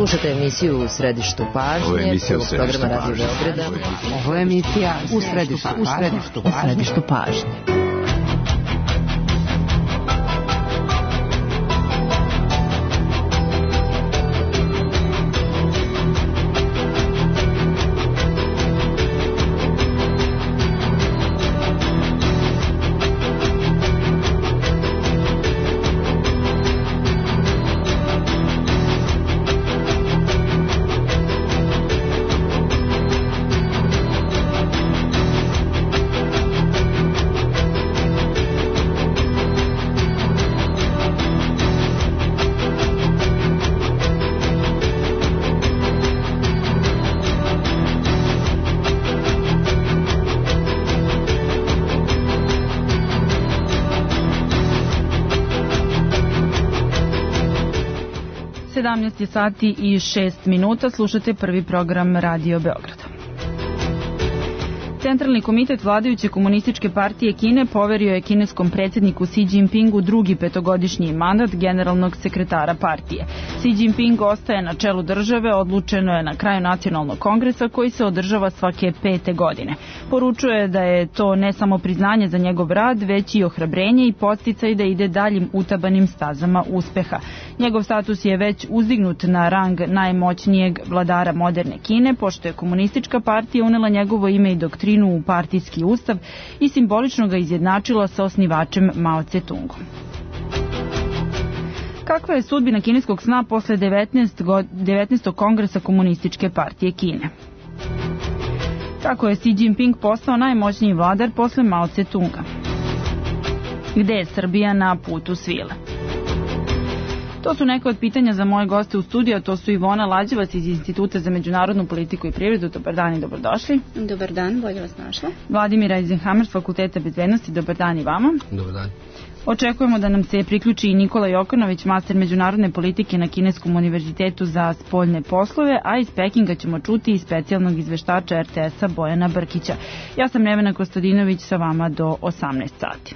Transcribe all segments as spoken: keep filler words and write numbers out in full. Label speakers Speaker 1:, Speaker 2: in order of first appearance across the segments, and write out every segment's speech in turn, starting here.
Speaker 1: Slušate emisiju U središtu pažnje.
Speaker 2: Ovo je emisija U središtu
Speaker 1: programa Radio Beograda.
Speaker 3: Ovo je emisija U središtu pažnje. U središtu pažnje.
Speaker 4: sedamnaest sati i šest minuta, slušate prvi program Radio Beograda. Centralni komitet vladajuće komunističke partije Kine poverio je kineskom predsjedniku Xi Jinpingu drugi petogodišnji mandat generalnog sekretara partije. Xi Jinping ostaje na čelu države, odlučeno je na kraju nacionalnog kongresa koji se održava svake pete godine. Poručuje da je to ne samo priznanje za njegov rad, već i ohrabrenje i podsticaj da ide daljim utabanim stazama uspeha. Njegov status je već uzdignut na rang najmoćnijeg vladara moderne Kine, pošto je komunistička partija unela njegovo ime i doktrinu u partijski ustav i simbolično ga izjednačila sa osnivačem Mao Tse-tungom. Kakva je sudbina kineskog sna posle devetnaestog kongresa komunističke partije Kine? Kako je Xi Jinping postao najmoćniji vladar posle Mao Tse-tunga? Gde je Srbija na putu svile? To su neka od pitanja za moje goste u studiju, a to su Ivona Lađevac iz Instituta za međunarodnu politiku i privredu. Dobar dan i dobrodošli.
Speaker 5: Dobar dan, bolje vas našla.
Speaker 4: Vladimir Eisenhammer s Fakulteta bezbednosti. Dobar dan i vama.
Speaker 6: Dobar dan.
Speaker 4: Očekujemo da nam se priključi i Nikola Jokanović, master međunarodne politike na Kineskom univerzitetu za spoljne poslove, a iz Pekinga ćemo čuti i specijalnog izveštača er te es-a Bojana Brkića. Ja sam Nevena Kostadinović sa vama do osamnaest sati.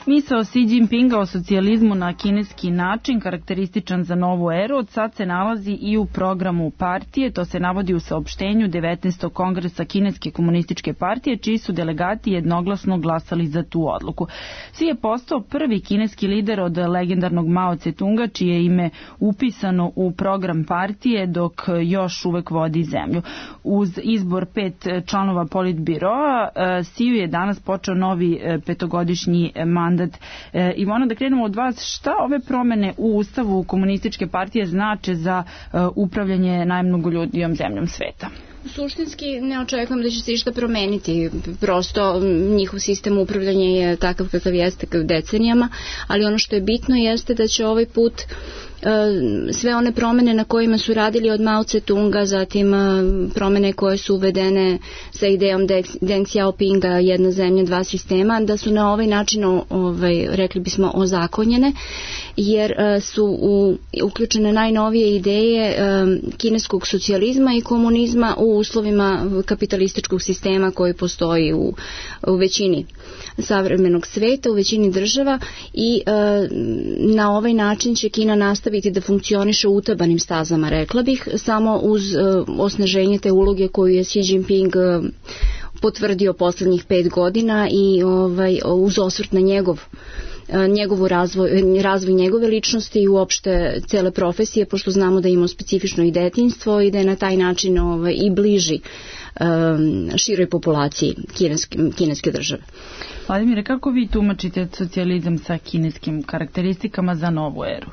Speaker 4: Misao Xi Jinpinga o socijalizmu na kineski način, karakterističan za novu eru, od sad se nalazi i u programu partije. To se navodi u saopštenju devetnaestog kongresa Kineske komunističke partije, čiji su delegati jednoglasno glasali za tu odluku. Xi je postao prvi kineski lider od legendarnog Mao Tse-tunga, čije ime upisano u program partije, dok još uvek vodi zemlju. Uz izbor pet članova politbiroa, Xi je danas počeo novi petogodišnji mandat. E, Ivona, da krenemo od vas, šta ove promene u ustavu komunističke partije znače za e, upravljanje najmnogoljudnijom zemljom sveta?
Speaker 5: Suštinski ne očekujem da će se išta promeniti, prosto njihov sistem upravljanja je takav kakav jeste decenijama, ali ono što je bitno jeste da će ovaj put sve one promene na kojima su radili od Mao Tse-tunga, zatim promene koje su uvedene sa idejom Deng Xiaopinga, jedna zemlja, dva sistema, da su na ovaj način, ovaj, rekli bismo, ozakonjene, jer su u, uključene najnovije ideje kineskog socijalizma i komunizma u uslovima kapitalističkog sistema koji postoji u, u većini savremenog sveta, u većini država, i e, na ovaj način će Kina nastaviti da funkcioniše u utabanim stazama, rekla bih, samo uz e, osnaženje te uloge koju je Xi Jinping e, potvrdio poslednjih pet godina i ovaj, uz osvrt na njegov njegovu razvoj, razvoj njegove ličnosti i uopšte cele profesije, pošto znamo da ima specifično i detinjstvo i da je na taj način ovaj, i bliži um, široj populaciji kineske, kineske države.
Speaker 4: Vladimire, kako vi tumačite socijalizam sa kineskim karakteristikama za novu eru?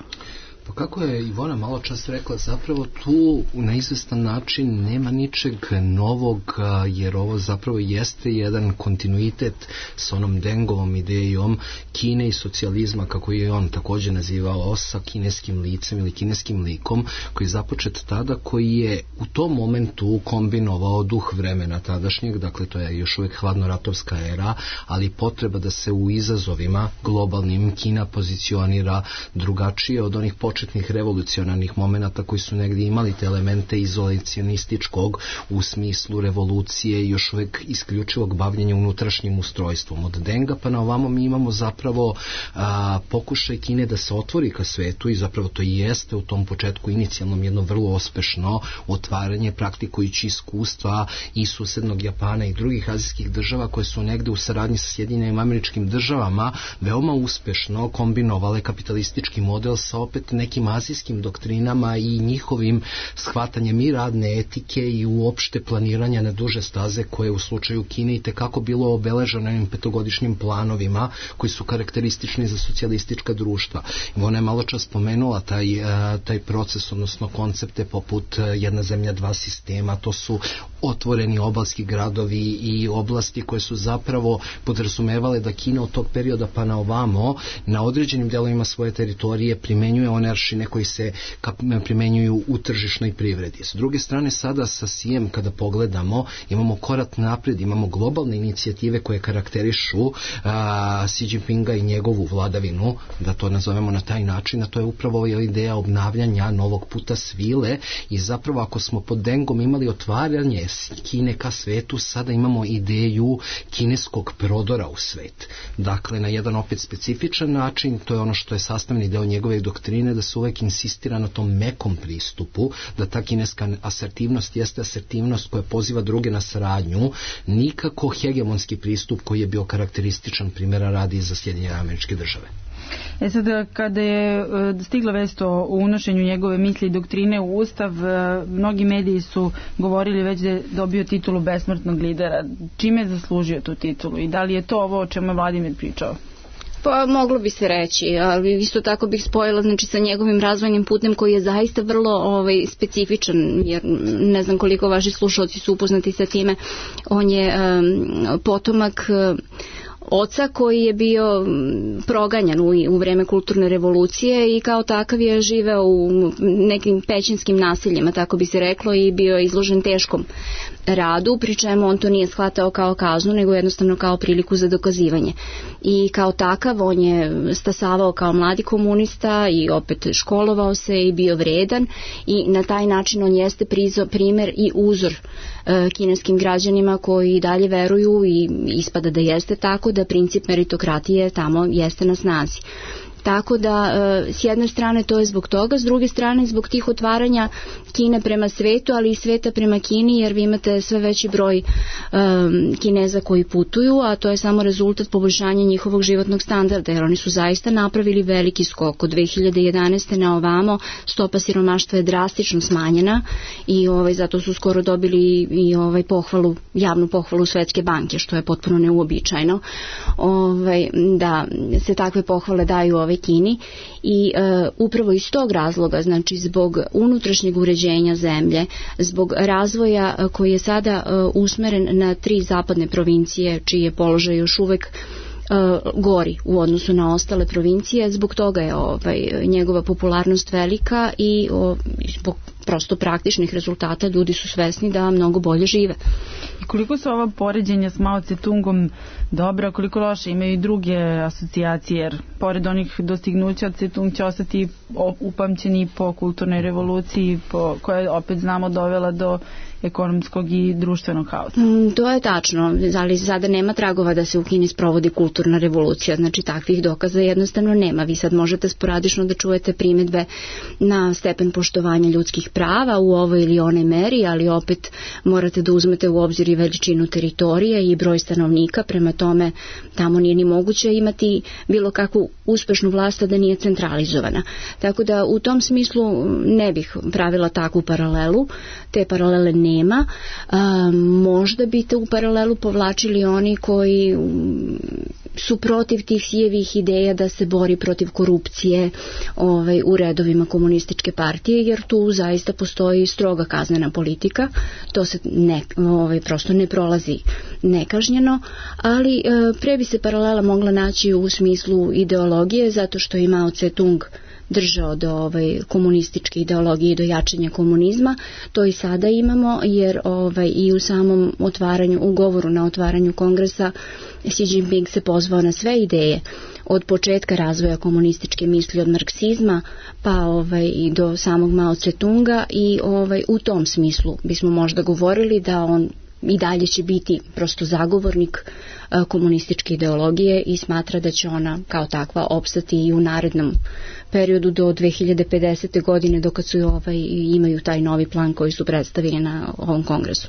Speaker 6: Pa kako je Ivona malo čas rekla, zapravo tu na izvestan način nema ničeg novog, jer ovo zapravo jeste jedan kontinuitet s onom Dengovom idejom Kine i socijalizma, kako je on također nazivao, sa kineskim licem ili kineskim likom, koji je započet tada, koji je u tom momentu kombinovao duh vremena tadašnjeg, dakle to je još uvijek hladnoratovska era, ali potreba da se u izazovima globalnim Kina pozicionira drugačije od onih početnika početnih revolucionarnih momenata koji su negdje imali te elemente izolacionističkog u smislu revolucije i još uvek isključivog bavljenja unutrašnjim ustrojstvom. Od Denga pa na ovamo mi imamo zapravo a, pokušaj Kine da se otvori ka svetu i zapravo to i jeste u tom početku inicijalnom jedno vrlo uspešno otvaranje praktikujući iskustva i susednog Japana i drugih azijskih država koje su negde u saradnji sa Sjedinjenim Američkim Državama veoma uspešno kombinovale kapitalistički model sa opet nekim azijskim doktrinama i njihovim shvatanjem i radne etike i uopšte planiranja na duže staze koje u slučaju Kine i tekako bilo obeleženo ovim petogodišnjim planovima koji su karakteristični za socijalistička društva. Ona je malo čas spomenula taj, taj proces, odnosno koncepte poput jedna zemlja, dva sistema, to su otvoreni obalski gradovi i oblasti koje su zapravo podrazumevale da Kina od tog perioda pa na ovamo na određenim delovima svoje teritorije primenjuje one aršine koji se primenjuju u tržišnoj privredi. S druge strane, sada sa Sijem kada pogledamo, imamo korak napred, imamo globalne inicijative koje karakterišu a, Xi Jinpinga i njegovu vladavinu, da to nazovemo na taj način, a to je upravo ideja obnavljanja novog puta svile i zapravo ako smo pod Dengom imali otvaranje Kine ka svetu, sada imamo ideju kineskog prodora u svet. Dakle, na jedan opet specifičan način, to je ono što je sastavni deo njegove doktrine, da se uvek insistira na tom mekom pristupu, da ta kineska asertivnost jeste asertivnost koja poziva druge na saradnju, nikako hegemonski pristup koji je bio karakterističan primjera radi za Sjedinjene Američke Države.
Speaker 4: E sad, kada je stigla vest o unošenju njegove misli i doktrine u Ustav, mnogi mediji su govorili već da je dobio titulu besmrtnog lidera. Čime je zaslužio tu titulu i da li je to ovo o čemu je Vladimir pričao?
Speaker 5: Pa moglo bi se reći, ali isto tako bih spojila znači sa njegovim razvojnim putem koji je zaista vrlo ovaj, specifičan, jer ne znam koliko vaši slušalci su upoznati sa time. On je um, potomak um, oca koji je bio proganjan u, u vreme kulturne revolucije i kao takav je živeo u nekim pećinskim naseljima, tako bi se reklo, i bio je izložen teškom radu, pri čemu on to nije shvatao kao kaznu, nego jednostavno kao priliku za dokazivanje. I kao takav on je stasavao kao mladi komunista i opet školovao se i bio vredan i na taj način on jeste prizo, primer i uzor e, kineskim građanima koji dalje veruju i ispada da jeste tako, da princip meritokratije tamo jeste na snazi. Tako da s jedne strane to je zbog toga, s druge strane zbog tih otvaranja Kine prema svetu, ali i sveta prema Kini, jer vi imate sve veći broj um, Kineza koji putuju, a to je samo rezultat poboljšanja njihovog životnog standarda, jer oni su zaista napravili veliki skok. Od dve hiljade jedanaeste na ovamo stopa siromaštva je drastično smanjena i ovaj, zato su skoro dobili i ovaj, pohvalu, javnu pohvalu Svetske banke, što je potpuno neuobičajeno, ovaj, da se takve pohvale daju ovaj Kini i e, upravo iz tog razloga, znači zbog unutrašnjeg uređenja zemlje, zbog razvoja e, koji je sada e, usmeren na tri zapadne provincije, čiji je položaj još uvek e, gori u odnosu na ostale provincije, zbog toga je ovaj, njegova popularnost velika i o, zbog prosto praktičnih rezultata ljudi su svesni da mnogo bolje žive.
Speaker 4: I koliko su ova poređenja s Mao Tse-tungom dobra, koliko loše, imaju i druge asocijacije, jer pored onih dostignuća Tse-tung će ostati upamćeni po kulturnoj revoluciji, po, koja je opet znamo dovela do ekonomskog i društvenog haosa.
Speaker 5: Mm, to je tačno, ali sada nema tragova da se u Kini sprovodi kulturna revolucija, znači takvih dokaza jednostavno nema. Vi sad možete sporadično da čujete primedbe na stepen poštovanja ljudskih prava u ovoj ili onoj meri, ali opet morate da uzmete u obzir i veličinu teritorije i broj stanovnika, prema tome tamo nije ni moguće imati bilo kakvu uspešnu vlast da nije centralizovana. Tako da u tom smislu ne bih pravila takvu paralelu, te paralele nema. A, možda bi te u paralelu povlačili oni koji su protiv tih Sijevih ideja da se bori protiv korupcije ovaj, u redovima komunističke partije, jer tu zaista postoji stroga kaznena politika, to se ne, ovaj, prosto ne prolazi nekažnjeno, ali e, pre bi se paralela mogla naći u smislu ideologije, zato što je Mao Tse-tung držao do ovaj, komunističke ideologije i do jačanja komunizma. To i sada imamo, jer ovaj, i u samom otvaranju, u govoru na otvaranju kongresa Xi Jinping se pozvao na sve ideje od početka razvoja komunističke misli, od marksizma pa ovaj, i do samog Mao Tse-tunga, i ovaj, u tom smislu bismo možda govorili da on i dalje će biti prosto zagovornik a, komunističke ideologije i smatra da će ona kao takva opstati i u narednom periodu do dve hiljade pedesete. godine, dok su ovaj, imaju taj novi plan koji su predstavili na ovom kongresu.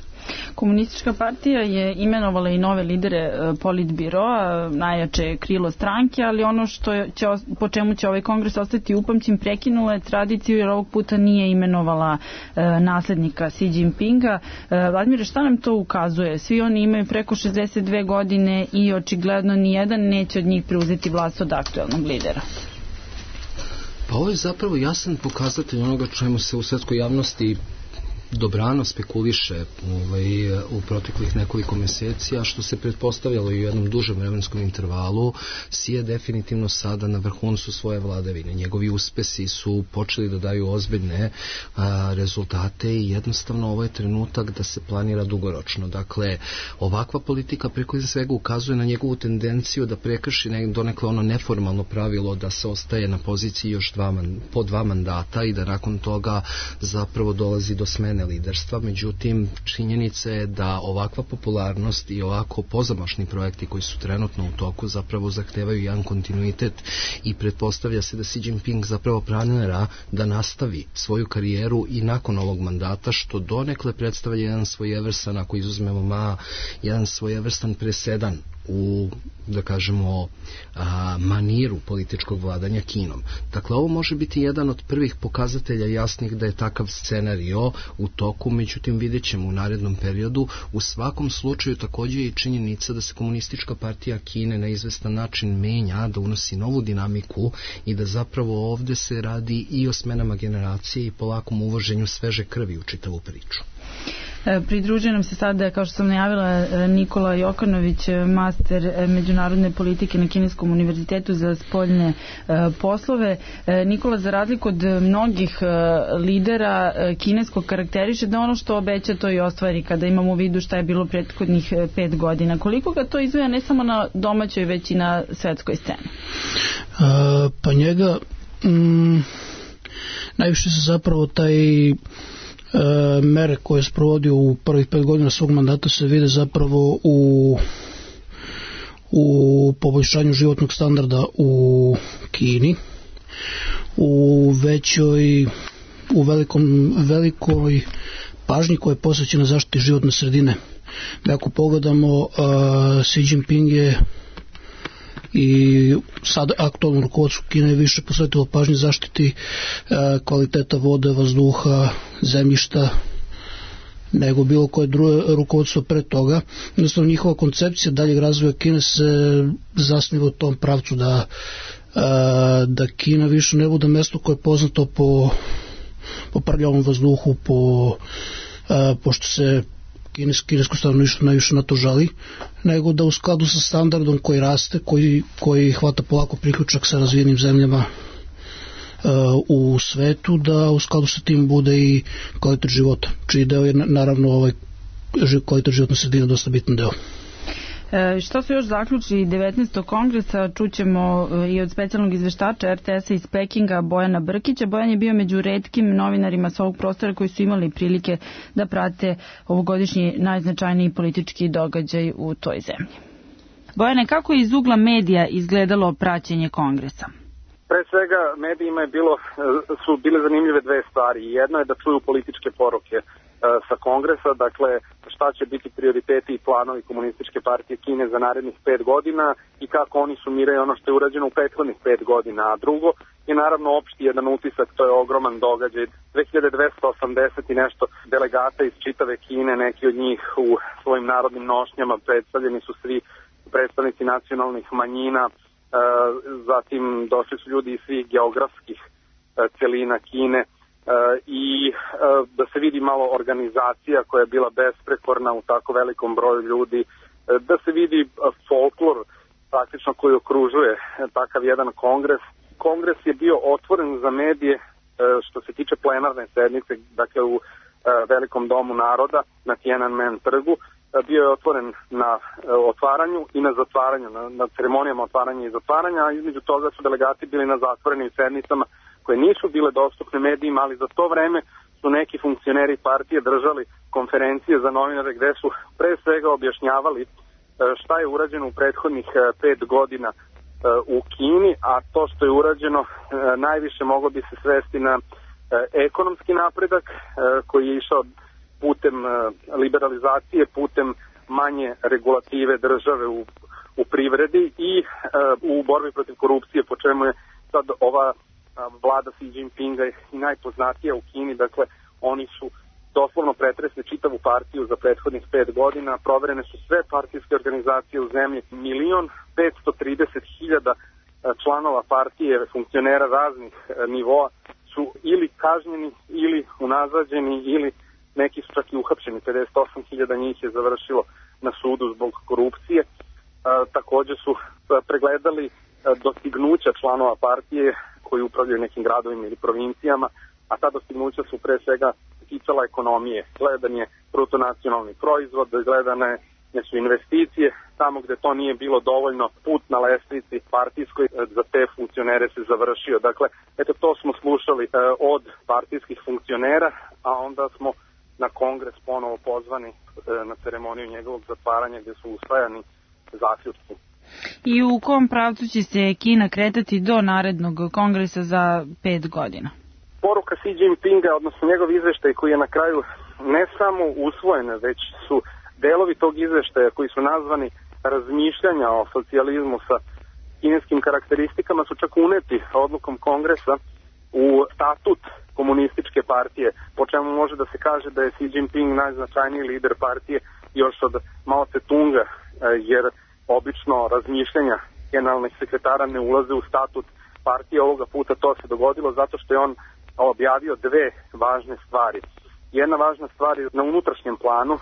Speaker 4: Komunistička partija je imenovala i nove lidere politbiroa, najjače krilo stranke, ali ono što će, po čemu će ovaj kongres ostati upamćen, prekinula je tradiciju jer ovog puta nije imenovala e, naslednika Xi Jinpinga. E, Vladimire, šta nam to ukazuje? Svi oni imaju preko šezdeset dve godine i očigledno nijedan neće od njih preuzeti vlast od aktuelnog lidera.
Speaker 6: Pa ovo je zapravo jasan pokazatelj onoga čemu se u svetskoj javnosti dobrano spekuliše ovaj, u proteklih nekoliko meseci, a što se pretpostavljalo i u jednom dužem vremenskom intervalu. Xi je definitivno sada na vrhuncu svoje vladavine. Njegovi uspesi su počeli da daju ozbiljne a, rezultate i jednostavno ovo je trenutak da se planira dugoročno. Dakle, ovakva politika preko svega ukazuje na njegovu tendenciju da prekrši donekle ono neformalno pravilo da se ostaje na poziciji još dva, po dva mandata i da nakon toga zapravo dolazi do smene liderstva. Međutim, činjenica je da ovakva popularnost i ovako pozamašni projekti koji su trenutno u toku zapravo zahtevaju jedan kontinuitet i pretpostavlja se da Xi Jinping zapravo planira da nastavi svoju karijeru i nakon ovog mandata, što donekle predstavlja jedan svojevrstan, ako izuzmemo Ma, jedan svojevrstan presedan u, da kažemo, a, maniru političkog vladanja Kinom. Dakle, ovo može biti jedan od prvih pokazatelja jasnih da je takav scenario u toku, međutim vidjet ćemo u narednom periodu. U svakom slučaju također je i činjenica da se komunistička partija Kine na izvestan način menja, da unosi novu dinamiku i da zapravo ovdje se radi i o smenama generacije i polakom uvoženju sveže krvi u čitavu priču.
Speaker 4: Pridružuje nam se sada, kao što sam najavila, Nikola Jokanović, master međunarodne politike na Kineskom univerzitetu za spoljne poslove. Nikola, za razliku od mnogih lidera kineskog karakteriše da ono što obeća to i ostvari, kada imamo u vidu šta je bilo prethodnih pet godina. Koliko ga to izvaja ne samo na domaćoj, već i na svetskoj sceni?
Speaker 2: A, pa njega mm, najviše se zapravo taj E, mere koje je sprovodio u prvih pet godina svog mandata se vide zapravo u u poboljšanju životnog standarda u Kini, u većoj u velikom, velikoj pažnji koja je posvećena zaštiti životne sredine. Da ako pogledamo, uh, Xi Jinping je i sad aktualno rukovodstvo Kine je više posvetilo pažnje zaštiti e, kvaliteta vode, vazduha, zemljišta nego bilo koje drugo rukovodstvo pre toga. Jednostavno njihova koncepcija daljeg razvoja Kine se zasniva u tom pravcu da, e, da Kina više ne bude mesto koje je poznato po, po prljavom vazduhu, po, e, pošto se kinesko stanovništvo najviše na to žali, nego da u skladu sa standardom koji raste, koji, koji hvata polako priključak sa razvijenim zemljama uh, u svetu, da u skladu sa tim bude i kvalitet života, čiji deo je naravno ovaj kvalitet životne sredine dosta bitan deo.
Speaker 4: E, što su još zaključili devetnaestog kongresa, čućemo i od specijalnog izveštača er te es-a iz Pekinga, Bojana Brkića. Bojan je bio među retkim novinarima s ovog prostora koji su imali prilike da prate ovogodišnji najznačajniji politički događaj u toj zemlji. Bojane, kako je iz ugla medija izgledalo praćenje kongresa?
Speaker 7: Pre svega, medijima je bilo, su bile zanimljive dve stvari. Jedno je da čuju političke poruke sa kongresa, dakle šta će biti prioriteti i planovi Komunističke partije Kine za narednih pet godina i kako oni sumiraju ono što je urađeno u prethodnih pet godina. A drugo je naravno opšti jedan utisak, to je ogroman događaj. dve hiljade dvesta osamdeset i nešto delegata iz čitave Kine, neki od njih u svojim narodnim nošnjama, predstavljeni su svi predstavnici nacionalnih manjina, zatim došli su ljudi iz svih geografskih celina Kine, i da se vidi malo organizacija koja je bila besprekorna u tako velikom broju ljudi, da se vidi folklor praktično koji okružuje takav jedan kongres kongres je bio otvoren za medije što se tiče plenarne sednice, dakle u Velikom domu naroda na Tiananmen trgu. Bio je otvoren na otvaranju i na zatvaranju, na, na ceremonijama otvaranja i zatvaranja, a između toga su delegati bili na zatvorenim sednicama koje nisu bile dostupne medijima, ali za to vreme su neki funkcioneri partije držali konferencije za novinare gde su pre svega objašnjavali šta je urađeno u prethodnih pet godina u Kini, a to što je urađeno najviše moglo bi se svesti na ekonomski napredak koji je išao putem liberalizacije, putem manje regulative države u, u privredi i u borbi protiv korupcije, po čemu je sad ova vlada Xi Jinpinga i najpoznatija u Kini. Dakle, oni su doslovno pretresli čitavu partiju za prethodnih pet godina, proverene su sve partijske organizacije u zemlji, milion petsto trideset hiljada članova partije, funkcionera raznih nivoa su ili kažnjeni, ili unazađeni, ili neki su čak i uhapšeni, pedeset osam hiljada njih je završilo na sudu zbog korupcije. E, takođe su pregledali dostignuća članova partije koji upravljaju nekim gradovima ili provincijama, a ta dostignuća su pre svega ticala ekonomije. Gledan je bruto nacionalni proizvod, gledane su investicije, tamo gde to nije bilo dovoljno, put na lestvici partijskoj za te funkcionere se završio. Dakle, eto to smo slušali od partijskih funkcionera, a onda smo na kongres ponovo pozvani na ceremoniju njegovog zatvaranja gde su usvajani zaključci.
Speaker 4: I u kom pravcu će se Kina kretati do narednog kongresa za pet godina?
Speaker 7: Poruka Xi Jinpinga, odnosno njegov izveštaj koji je na kraju ne samo usvojen, već su delovi tog izveštaja koji su nazvani razmišljanja o socijalizmu sa kineskim karakteristikama su čak uneti odlukom kongresa u statut komunističke partije, po čemu može da se kaže da je Xi Jinping najznačajniji lider partije još od Mao Tse-tunga, jer obično razmišljanja generalnih sekretara ne ulaze u statut partije. Ovoga puta to se dogodilo zato što je on objavio dve važne stvari. Jedna važna stvar je na unutrašnjem planu.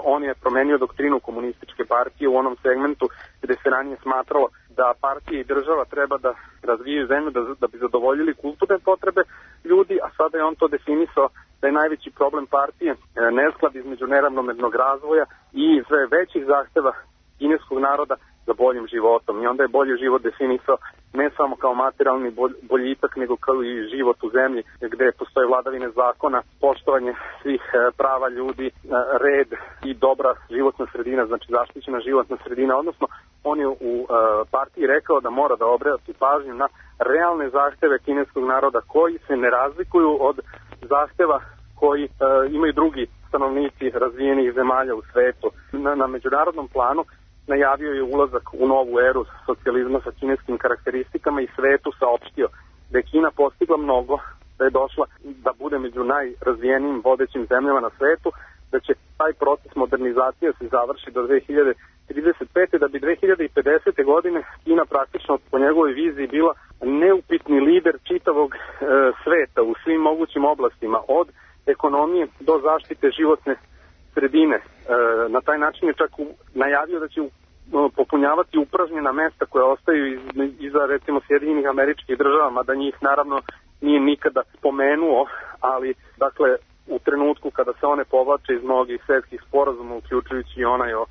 Speaker 7: On je promenio doktrinu komunističke partije u onom segmentu gde se ranije smatralo da partija i država treba da razvijaju zemlju da, da bi zadovoljili kulturne potrebe ljudi, a sada je on to definisao da je najveći problem partije nesklad između neravnomernog razvoja i sve većih zahteva kineskog naroda za boljim životom. I onda je bolji život definisao ne samo kao materijalni boljitak, nego kao i život u zemlji gde postoje vladavine zakona, poštovanje svih prava ljudi, red i dobra životna sredina, znači zaštićena životna sredina, odnosno on je u partiji rekao da mora da obrati pažnju na realne zahteve kineskog naroda koji se ne razlikuju od zahteva koji imaju drugi stanovnici razvijenih zemalja u svetu. Na, na međunarodnom planu najavio je ulazak u novu eru socijalizma sa kineskim karakteristikama i svetu saopštio da je Kina postigla mnogo, da je došla da bude među najrazvijenijim vodećim zemljama na svetu, da će taj proces modernizacije se završi do dve hiljade trideset pete. da bi dve hiljade pedesete. godine Kina praktično po njegovoj viziji bila neupitni lider čitavog e, sveta u svim mogućim oblastima, od ekonomije do zaštite životne sredine. E, na taj način je čak u, najavio da će u, popunjavati upražnjena mesta koja ostaju iz, iza recimo Sjedinjenih Američkih Država, mada njih naravno nije nikada spomenuo, ali dakle u trenutku kada se one povlače iz mnogih svetskih sporazuma, uključujući i onaj o,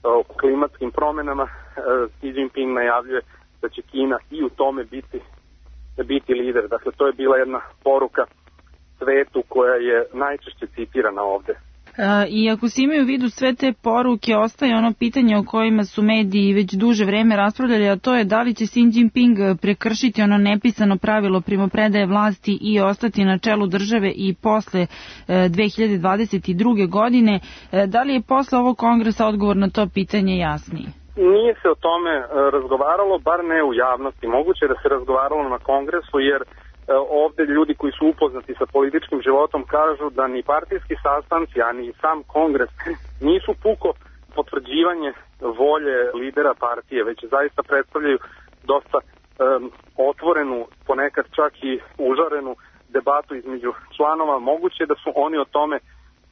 Speaker 7: o klimatskim promenama, e, Xi Jinping najavljuje da će Kina i u tome biti, biti lider. Dakle, to je bila jedna poruka svetu koja je najčešće citirana ovde.
Speaker 4: I ako se imaju u vidu sve te poruke, ostaje ono pitanje o kojima su mediji već duže vreme raspravljali, a to je da li će Xi Jinping prekršiti ono nepisano pravilo primopredaje vlasti i ostati na čelu države i posle dve hiljade dvadeset druge. godine. Da li je posle ovog kongresa odgovor na to pitanje jasniji?
Speaker 7: Nije se o tome razgovaralo, bar ne u javnosti. Moguće da se razgovaralo na kongresu, jer ovde ljudi koji su upoznati sa političkim životom kažu da ni partijski sastanci, a ni sam kongres nisu puko potvrđivanje volje lidera partije, već zaista predstavljaju dosta um, otvorenu, ponekad čak i užarenu debatu između članova. Moguće da su oni o tome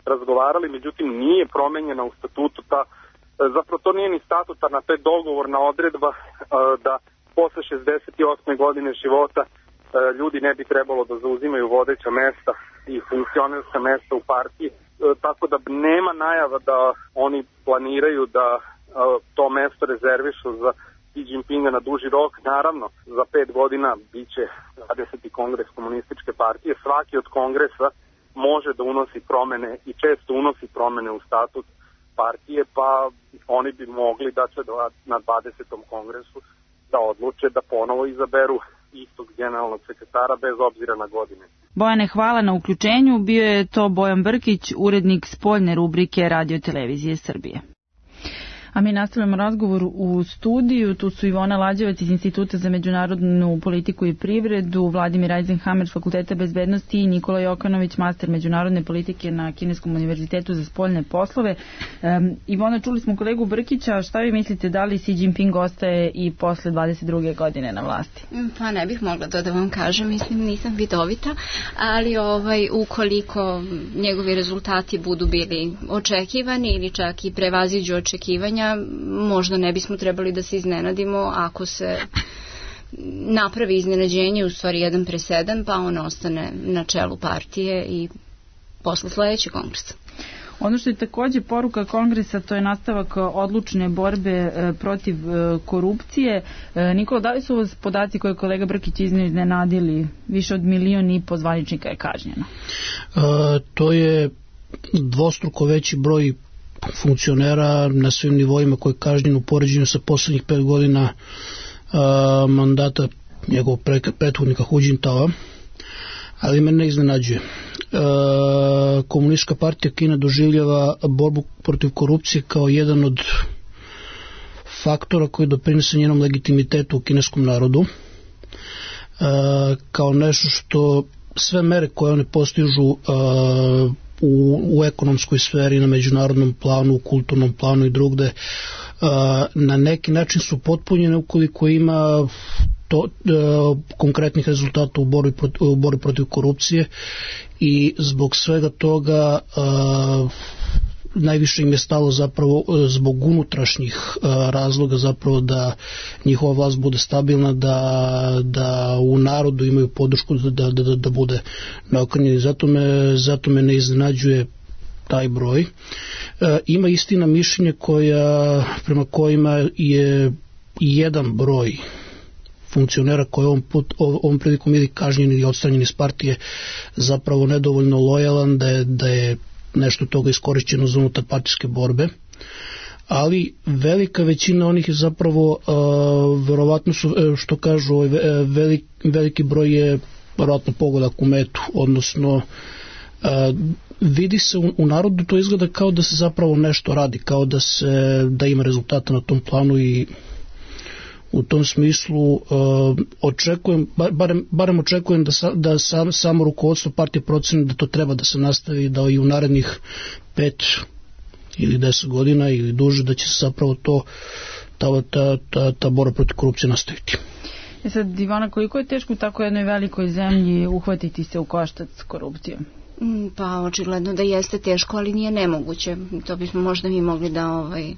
Speaker 7: razgovarali, međutim nije promenjena u statutu ta, zapravo to nije ni statutarna, to je dogovorna odredba uh, da posle šezdeset osme godine života ljudi ne bi trebalo da zauzimaju vodeća mesta i funkcionerska mesta u partiji, tako da nema najava da oni planiraju da to mesto rezervišu za Xi Jinpinga na duži rok. Naravno, za pet godina biće dvadeseti kongres komunističke partije. Svaki od kongresa može da unosi promene i često unosi promene u statut partije, pa oni bi mogli da će na dvadesetom kongresu da odluče da ponovo izaberu istog generalnog sekretara bez obzira na godine.
Speaker 4: Bojane, hvala na uključenju. Bio je to Bojan Brkić, urednik spoljne rubrike Radio Televizije Srbije. A mi nastavljamo razgovor u studiju. Tu su Ivona Lađevac iz Instituta za međunarodnu politiku i privredu, Vladimir Eisenhammer s Fakulteta bezbednosti i Nikola Jokanović, master međunarodne politike na Kineskom univerzitetu za spoljne poslove. Um, Ivona, čuli smo kolegu Brkića. Šta vi mislite, da li Xi Jinping ostaje i posle dvadeset druge godine na vlasti?
Speaker 5: Pa ne bih mogla to da vam kažem, mislim nisam vidovita, ali ovaj, ukoliko njegovi rezultati budu bili očekivani ili čak i prevaziđu očekivanja, možda ne bismo trebali da se iznenadimo ako se napravi iznenađenje, u stvari jedan presedan, pa on ostane na čelu partije i posle sledećeg kongresa.
Speaker 4: Ono što je takođe poruka kongresa, to je nastavak odlučne borbe protiv korupcije. Nikola, da li su vas podaci koje kolega Brkić iznio iznenadili? Više od milion i po zvaničnika je kažnjeno.
Speaker 2: E, to je dvostruko veći broj funkcionera na svim nivoima koji je kažnjen u poređenju sa poslednjih pet godina a, mandata njegovog prethodnika Hu Jintaoa, ali me ne iznenađuje. A, Komunistička partija Kine doživljava borbu protiv korupcije kao jedan od faktora koji doprinese njenom legitimitetu u kineskom narodu, a, kao nešto što sve mere koje one postižu a, U, u ekonomskoj sferi, na međunarodnom planu, u kulturnom planu i drugde, na neki način su potpunjene ukoliko ima to, konkretnih rezultata u borbi protiv, u borbi protiv korupcije, i zbog svega toga najviše im je stalo zapravo zbog unutrašnjih razloga zapravo da njihova vlast bude stabilna, da, da u narodu imaju podršku da, da, da, da bude naokrnjeni. Zato me, zato me ne iznenađuje taj broj. E, ima istina mišljenje koja, prema kojima je jedan broj funkcionera koji ovom, put, ovom prilikom ili kažnjeni ili odstranjeni iz partije zapravo nedovoljno lojalan, da je, da je nešto toga iskorišćeno za unutar partijske borbe, ali velika većina onih je zapravo uh, verovatno su, što kažu, uh, velik, veliki broj je verovatno pogodak u metu, odnosno uh, vidi se u, u narodu, to izgleda kao da se zapravo nešto radi, kao da se da ima rezultata na tom planu, i u tom smislu uh, očekujem, barem, barem očekujem da, sa, da sam, samo rukovodstvo partije proceni da to treba da se nastavi, da i u narednih pet ili deset godina ili duže, da će se zapravo to ta, ta, ta, ta borba protiv korupcije nastaviti.
Speaker 4: E sad, Ivana, koliko je teško u tako jednoj velikoj zemlji uhvatiti se u koštac s korupcijom?
Speaker 5: Pa očigledno da jeste teško, ali nije nemoguće. To bismo možda mi mogli da ovaj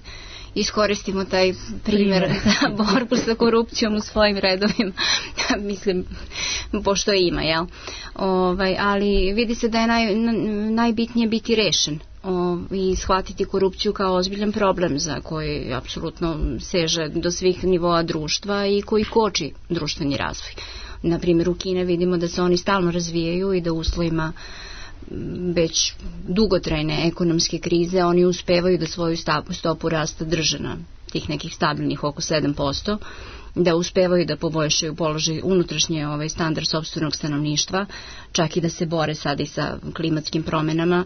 Speaker 5: iskoristimo taj primjer za borbu sa korupcijom u svojim redovima. Mislim, pošto ima, jel? Ovaj, ali vidi se da je naj, najbitnije biti rešen o, i shvatiti korupciju kao ozbiljan problem za koji apsolutno seže do svih nivoa društva i koji koči društveni razvoj. Na primjer, u Kine vidimo da se oni stalno razvijaju i da u uslovima već dugotrajne ekonomske krize oni uspevaju da svoju stopu rasta drže na tih nekih stabilnih oko sedam posto, da uspevaju da poboljšaju položaj unutrašnje ovaj standard sopstvenog stanovništva, čak i da se bore sad i sa klimatskim promenama.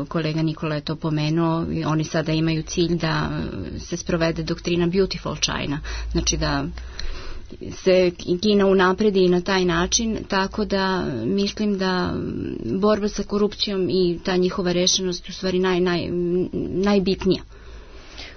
Speaker 5: Kolega Nikola je to pomenuo, oni sada imaju cilj da se sprovede doktrina Beautiful China, znači da se Kina unapredi i na taj način, tako da mislim da borba sa korupcijom i ta njihova rešenost u stvari naj, naj, najbitnija.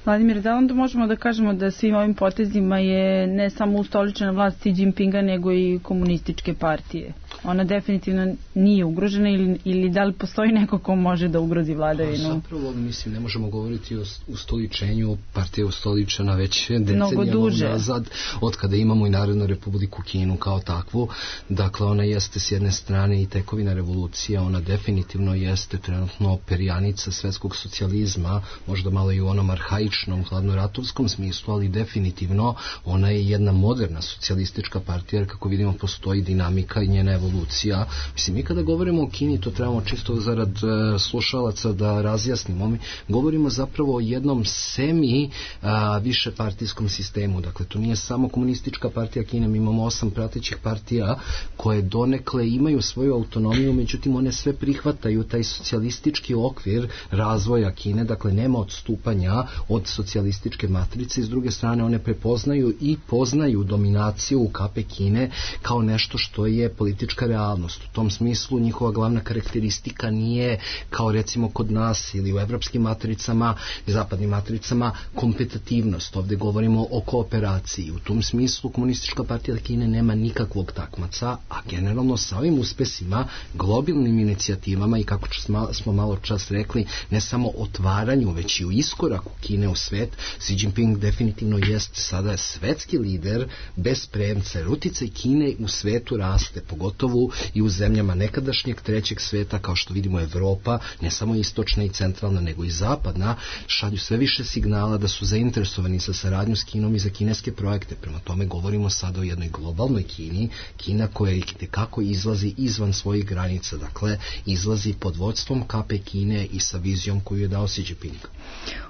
Speaker 4: Vladimir, da onda možemo da kažemo da svim ovim potezima je ne samo ustoličena vlast Xi Jinpinga, nego i komunističke partije? ona definitivno nije ugrožena ili, ili da li postoji neko ko može da ugrozi vladavinu?
Speaker 6: Zapravo, mislim, ne možemo govoriti o ustoličenju, partija je ustoličena već decenijama nazad, od kada imamo i Narodnu republiku Kinu kao takvu. Dakle, ona jeste s jedne strane i tekovina revolucija, ona definitivno jeste trenutno perjanica svetskog socijalizma, možda malo i u onom arhaičnom, hladnoratovskom smislu, ali definitivno ona je jedna moderna socijalistička partija, jer kako vidimo postoji dinamika i njena evolucija. Mislim, mi kada govorimo o Kini, to trebamo čisto zarad e, slušalaca da razjasnimo. Mi govorimo zapravo o jednom semi a, više partijskom sistemu. Dakle, to nije samo komunistička partija Kine, mi imamo osam pratećih partija koje donekle imaju svoju autonomiju, međutim one sve prihvataju taj socijalistički okvir razvoja Kine, dakle nema odstupanja od socijalističke matrice, i s druge strane one prepoznaju i poznaju dominaciju u kape Kine kao nešto što je politička realnost. U tom smislu njihova glavna karakteristika nije kao recimo kod nas ili u evropskim matricama i zapadnim matricama kompetitivnost. Ovdje govorimo o kooperaciji. U tom smislu komunistička partija Kine nema nikakvog takmaca, a generalno sa ovim uspesima, globalnim inicijativama i kako smo malo čas rekli, ne samo otvaranju, već i u iskoraku Kine u svet, Xi Jinping definitivno jest sada svetski lider bez premca. Uticaj Kine u svetu raste, pogotovo i u zemljama nekadašnjeg trećeg sveta, kao što vidimo Evropa, ne samo istočna i centralna, nego i zapadna, šalju sve više signala da su zainteresovani za saradnju s Kinom i za kineske projekte. Prema tome govorimo sada o jednoj globalnoj Kini, Kina koja kako izlazi izvan svojih granica, dakle izlazi pod vodstvom kape Kine i sa vizijom koju je dao Xi Jinping.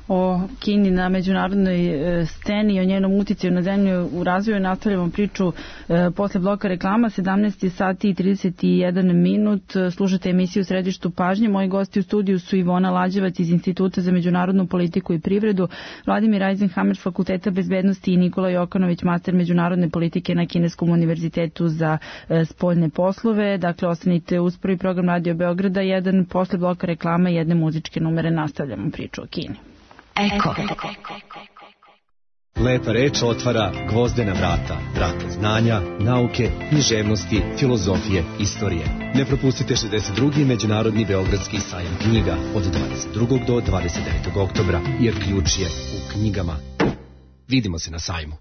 Speaker 4: O Kini na međunarodnoj e, sceni i o njenom uticaju na zemlju u razvoju nastavljamo priču e, posle bloka reklama. Sedamnaest sati i trideset jedan minut. Slušate emisiju u Središtu pažnje. Moji gosti u studiju su Ivona Lađevac iz Instituta za međunarodnu politiku i privredu, Vladimir Eisenhammer s Fakulteta bezbednosti i Nikola Jokanović, master međunarodne politike na Kineskom univerzitetu za e, spoljne poslove. Dakle, ostanite uz prvi program Radio Beograda jedan. Posle bloka reklama i jedne muzičke numere nastavljamo priču o Kini.
Speaker 3: Eko.
Speaker 8: Lepa reč otvara gvozdena vrata, vrata znanja, nauke, književnosti, filozofije, istorije. Ne propustite šezdeset drugi Međunarodni beogradski sajam knjiga od dvadeset drugog do dvadeset devetog oktobra, jer ključ je u knjigama. Vidimo se na sajmu.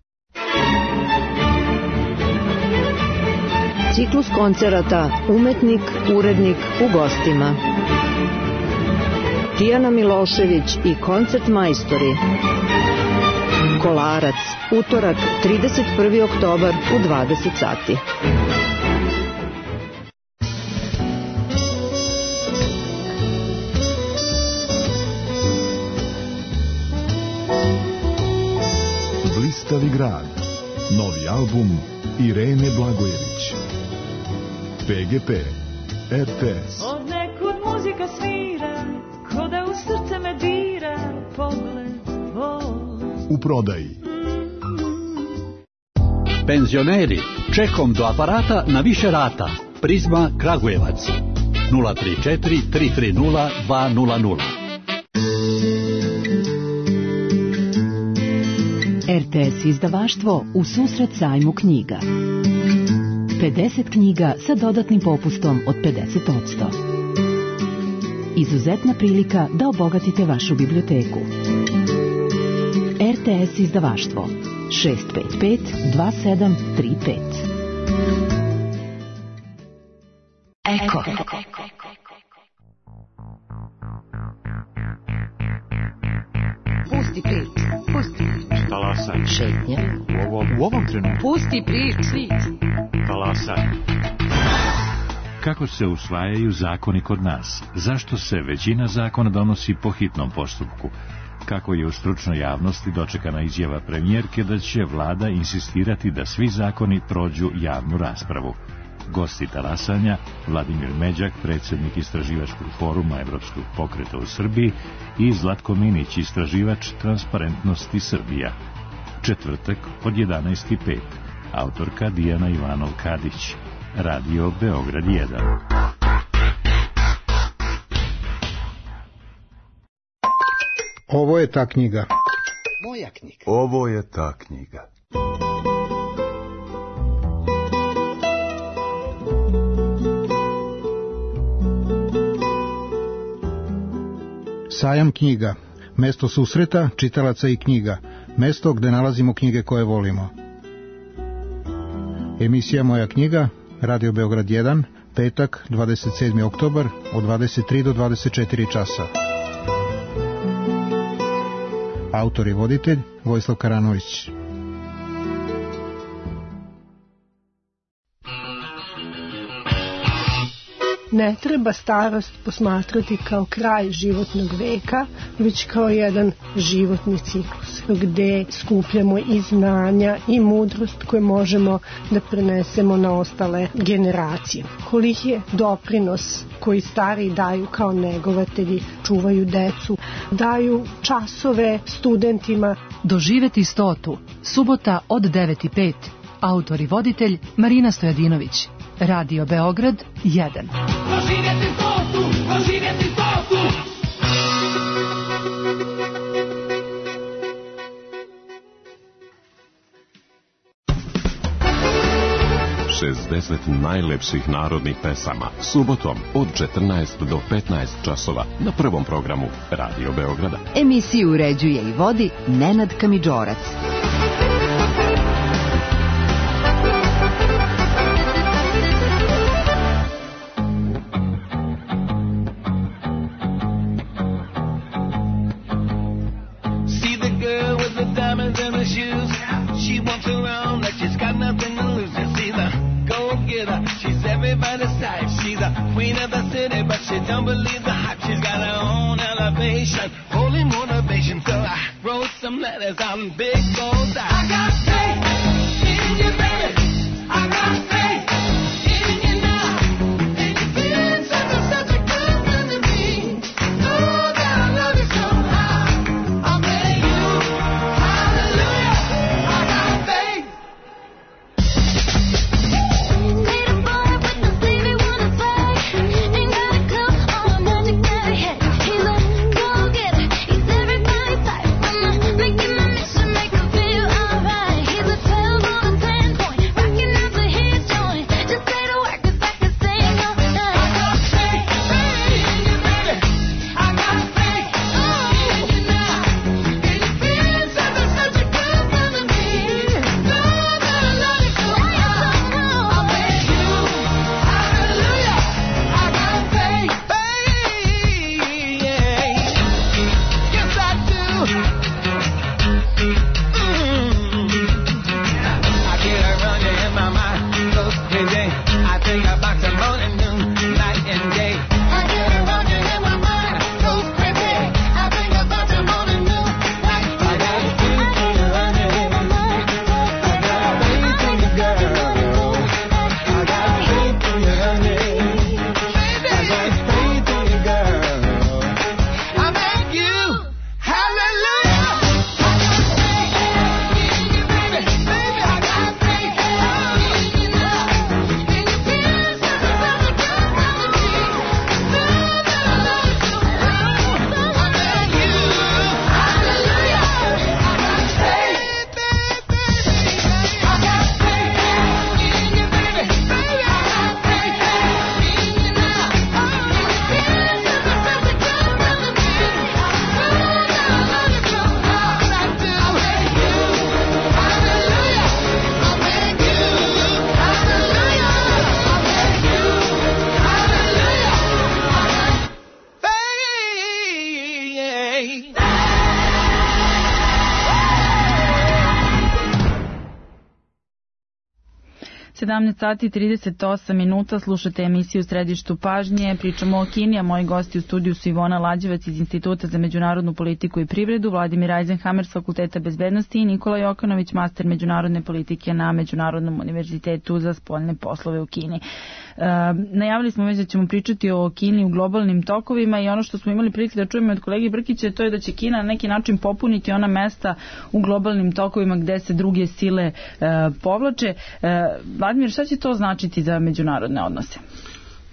Speaker 1: Ciklus koncerata Umetnik, urednik u gostima. Tijana Milošević i koncert majstori. Kolarac, utorak, trideset prvi oktobar u dvadeset sati.
Speaker 9: Blistavi grad. Novi album Irene Blagojević. P G P, R T S.
Speaker 10: Od nekud muzika svira, ko da u srce me dira, pogled tvoj.
Speaker 9: U prodaji.
Speaker 11: Penzioneri, čekom do aparata na više rata. Prizma Kragujevac. nula tri četiri tri tri nula dva nula nula.
Speaker 3: R T S izdavaštvo u susret sajmu knjiga. pedeset knjiga sa dodatnim popustom od pedeset posto. Izuzetna prilika da obogatite vašu biblioteku. R T S izdavaštvo šest pet pet dva sedam tri pet. Eko.
Speaker 1: Pusti priču, pusti priču.
Speaker 12: Talasaj.
Speaker 1: Šetnja.
Speaker 12: U ovom, u ovom trenutku.
Speaker 1: Pusti priču.
Speaker 12: Talasaj. Kako se usvajaju zakoni kod nas? Zašto se većina zakona donosi po hitnom postupku? Kako je u stručnoj javnosti dočekana izjava premijerke da će vlada insistirati da svi zakoni prođu javnu raspravu? Gosti talasanja, Vladimir Međak, predsjednik istraživačkog foruma Evropskog pokreta u Srbiji, i Zlatko Minić, istraživač Transparentnosti Srbija. Četvrtak od jedanaest i pet. Autorka Dijana Ivanov-Kadić. Radio Beograd jedan.
Speaker 13: Ovo je ta knjiga.
Speaker 14: Moja knjiga.
Speaker 15: Ovo je ta knjiga.
Speaker 13: Sajam knjiga, mesto susreta čitalaca i knjiga, mesto gde nalazimo knjige koje volimo. Emisija Moja knjiga, Radio Beograd jedan, petak, dvadeset sedmi oktobar, od dvadeset tri do dvadeset četiri časa. Autor i voditelj Vojislav Karanović.
Speaker 14: Ne treba starost posmatrati kao kraj životnog veka, već kao jedan životni ciklus, gde skupljamo i znanja i mudrost koje možemo da prenesemo na ostale generacije. Koliki je doprinos koji stari daju kao negovatelji, čuvaju decu, daju časove studentima.
Speaker 3: Doživeti stotu, subota od devet i pet. Autor i voditelj Marina Stojadinović. Radio Beograd jedan.
Speaker 10: Doživjeti stotu, doživjeti stotu.
Speaker 16: šezdeset najlepših narodnih pesama subotom od četrnaest do petnaest časova na prvom programu Radio Beograda.
Speaker 1: Emisiju uređuje i vodi Nenad Kamidžorac.
Speaker 10: Don't believe the hype, she's got her own elevation, holy motivation, so I wrote some letters on big goals. I got faith in you, baby. I got faith in you now. And you're feeling such a, such a good thing to me. Know that I love you somehow. I'll pay you, hallelujah. I got faith. Need a boy with the sleeve he wanna play. Ain't got a clue. He's a go-getter, he's everybody's type. I'm making my mission, make him feel alright. He's a twelve on a ten point, rocking out to his joint. Just say the word 'cause I can sing all night. I got faith in you, baby. I got faith in you now. And you're feeling such a, such a good thing to me. Know that I love you so much. I'll pay you, hallelujah. I got faith. Yes, I do. Mm. I get a running in my mind, goes crazy. I think about the morning, noon, night and day. I get a running in my mind, goes crazy. I think about the morning, noon, night and day. I got faith in you, running in my mind. I got faith in you, girl. I got faith in you, honey. I got faith in you, girl. I make you, hallelujah. I got faith in you, baby. Baby, I got faith in you now. And you're feeling such a, such a good thing to me. Know that I love you so much. I make you, hallelujah. I got faith, baby. I got faith in you, baby. Baby, I got faith in you now. And you're feeling such a, such a good thing to me. Know that I love you so much. I do. I make you, hallelujah. I make you, hallelujah. I make you, hallelujah. I got faith.
Speaker 4: sedamnaest sati i trideset osam minuta, slušate emisiju u Središtu pažnje, pričamo o Kini, a moji gosti u studiju su Ivona Lađevac iz Instituta za međunarodnu politiku i privredu, Vladimir Eisenhammer s Fakulteta bezbednosti i Nikola Jokanović, master međunarodne politike na Međunarodnom univerzitetu za spoljne poslove u Kini. E, najavili smo već da ćemo pričati o Kini u globalnim tokovima i ono što smo imali prilike da čujemo od kolege Brkića, to je da će Kina na neki način popuniti ona mesta u globalnim tokovima gde se druge sile e, povlače. E, Vladimir, šta će to značiti za međunarodne odnose?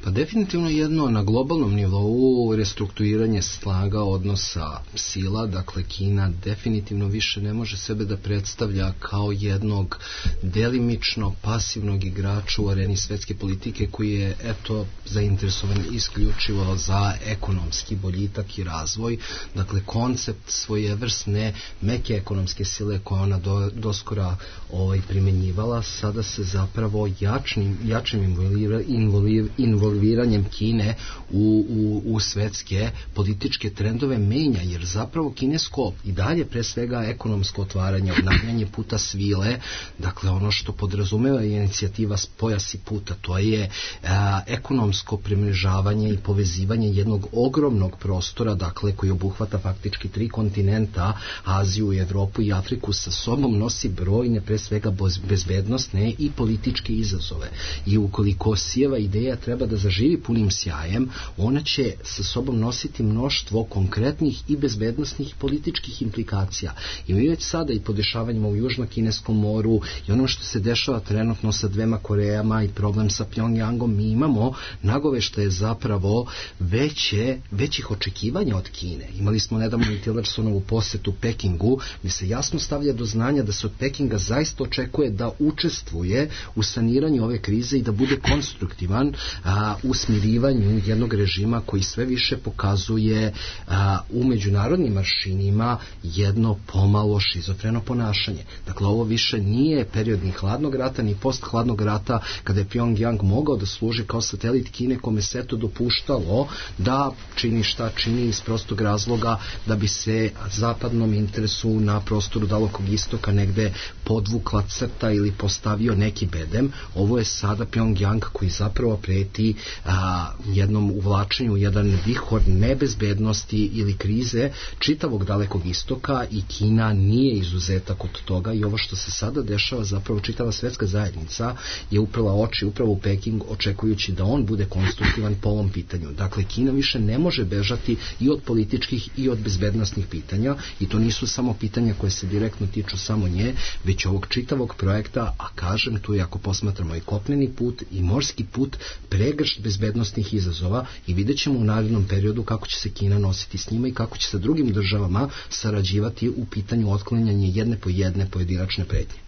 Speaker 6: Pa definitivno jedno na globalnom nivou restrukturiranje snaga odnosa sila, dakle Kina definitivno više ne može sebe da predstavlja kao jednog delimično pasivnog igrača u areni svetske politike koji je eto zainteresovan isključivo za ekonomski boljitak i razvoj. Dakle, koncept svojevrsne meke ekonomske sile koje ona do, doskora ovaj, primenjivala, sada se zapravo jačnim, jačim involira, involira, involviranjem Kine u, u, u svetske političke trendove menja, jer zapravo kinesko i dalje pre svega ekonomsko otvaranje, obnavljanje puta svile, dakle ono što podrazumeva inicijativa Pojas i puta, to je a, ekonomsko primrežavanje i povezivanje jednog ogromnog prostora, dakle koji obuhvata faktički tri kontinenta, Aziju, Evropu i Afriku, sa sobom nosi brojne pre svega bezbednosne i političke izazove. I ukoliko Sijeva ideja treba da zaživi punim sjajem, ona će sa sobom nositi mnoštvo konkretnih i bezbednosnih političkih implikacija. I mi već sada i po dešavanjima u Južno-Kineskom moru i ono što se dešava trenutno sa dvema Korejama i problem sa Pjongjangom, mi imamo nagoveštaje zapravo veće, većih očekivanja od Kine. Imali smo nedavno i Tillersonovu posetu Pekingu, gdje se jasno stavlja do znanja da se od Pekinga zaista očekuje da učestvuje u saniranju ove krize i da bude konstruktivan a, u smirivanju jednog režima koji sve više pokazuje a, u međunarodnim aršinima jedno pomalo šizofreno ponašanje. Dakle, ovo više nije period ni hladnog rata, ni post-hladnog rata, kada je Pjongjang mogao da služi kao satelit Kine, kome se to dopuštalo da čini šta čini iz prostog razloga da bi se zapadnom interesu na prostoru Dalekog istoka negde podvukla crta ili postavio neki bedem. Ovo je sada Pjongjang koji zapravo preti a, jednom uvlačenju, jedan vihor nebezbednosti ili krize čitavog Dalekog istoka, i Kina nije izuzetak od toga, i ovo što se sada dešava, zapravo čitava svetska zajednica je uprala oči upravo u Peking, očekujući da on bude konstruktivan po ovom pitanju. Dakle, Kina više ne može bežati i od političkih i od bezbednosnih pitanja, i to nisu samo pitanja koje se direktno tiču samo nje, već ovog čitavog projekta, a kažem, tu je, ako posmatramo i kopneni put i morski put, pregršt bezbednosnih izazova, i vidjet ćemo u narednom periodu kako će se Kina nositi s njima i kako će sa drugim državama sarađivati u pitanju otklanjanja jedne po jedne pojedinačne pretnje.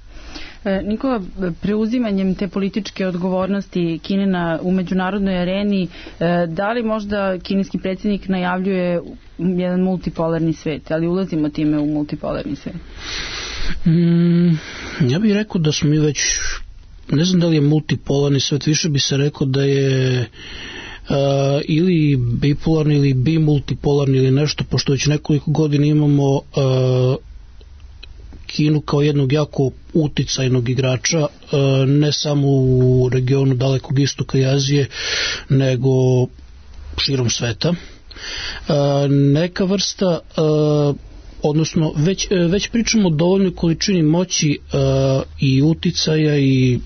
Speaker 4: Nikola, preuzimanjem te političke odgovornosti Kine na, u međunarodnoj areni, da li možda kineski predsjednik najavljuje jedan multipolarni svet, ali ulazimo time u multipolarni svet?
Speaker 2: Mm, ja bih rekao da smo mi već, ne znam da li je multipolarni svet, više bi se rekao da je uh, ili bipolarni ili bimultipolarni ili nešto, pošto već nekoliko godina imamo uh, Kinu kao jednog jako uticajnog igrača, ne samo u regionu Dalekog istoka i Azije, nego širom sveta. Neka vrsta, odnosno već, već pričamo o dovoljnoj količini moći i uticaja i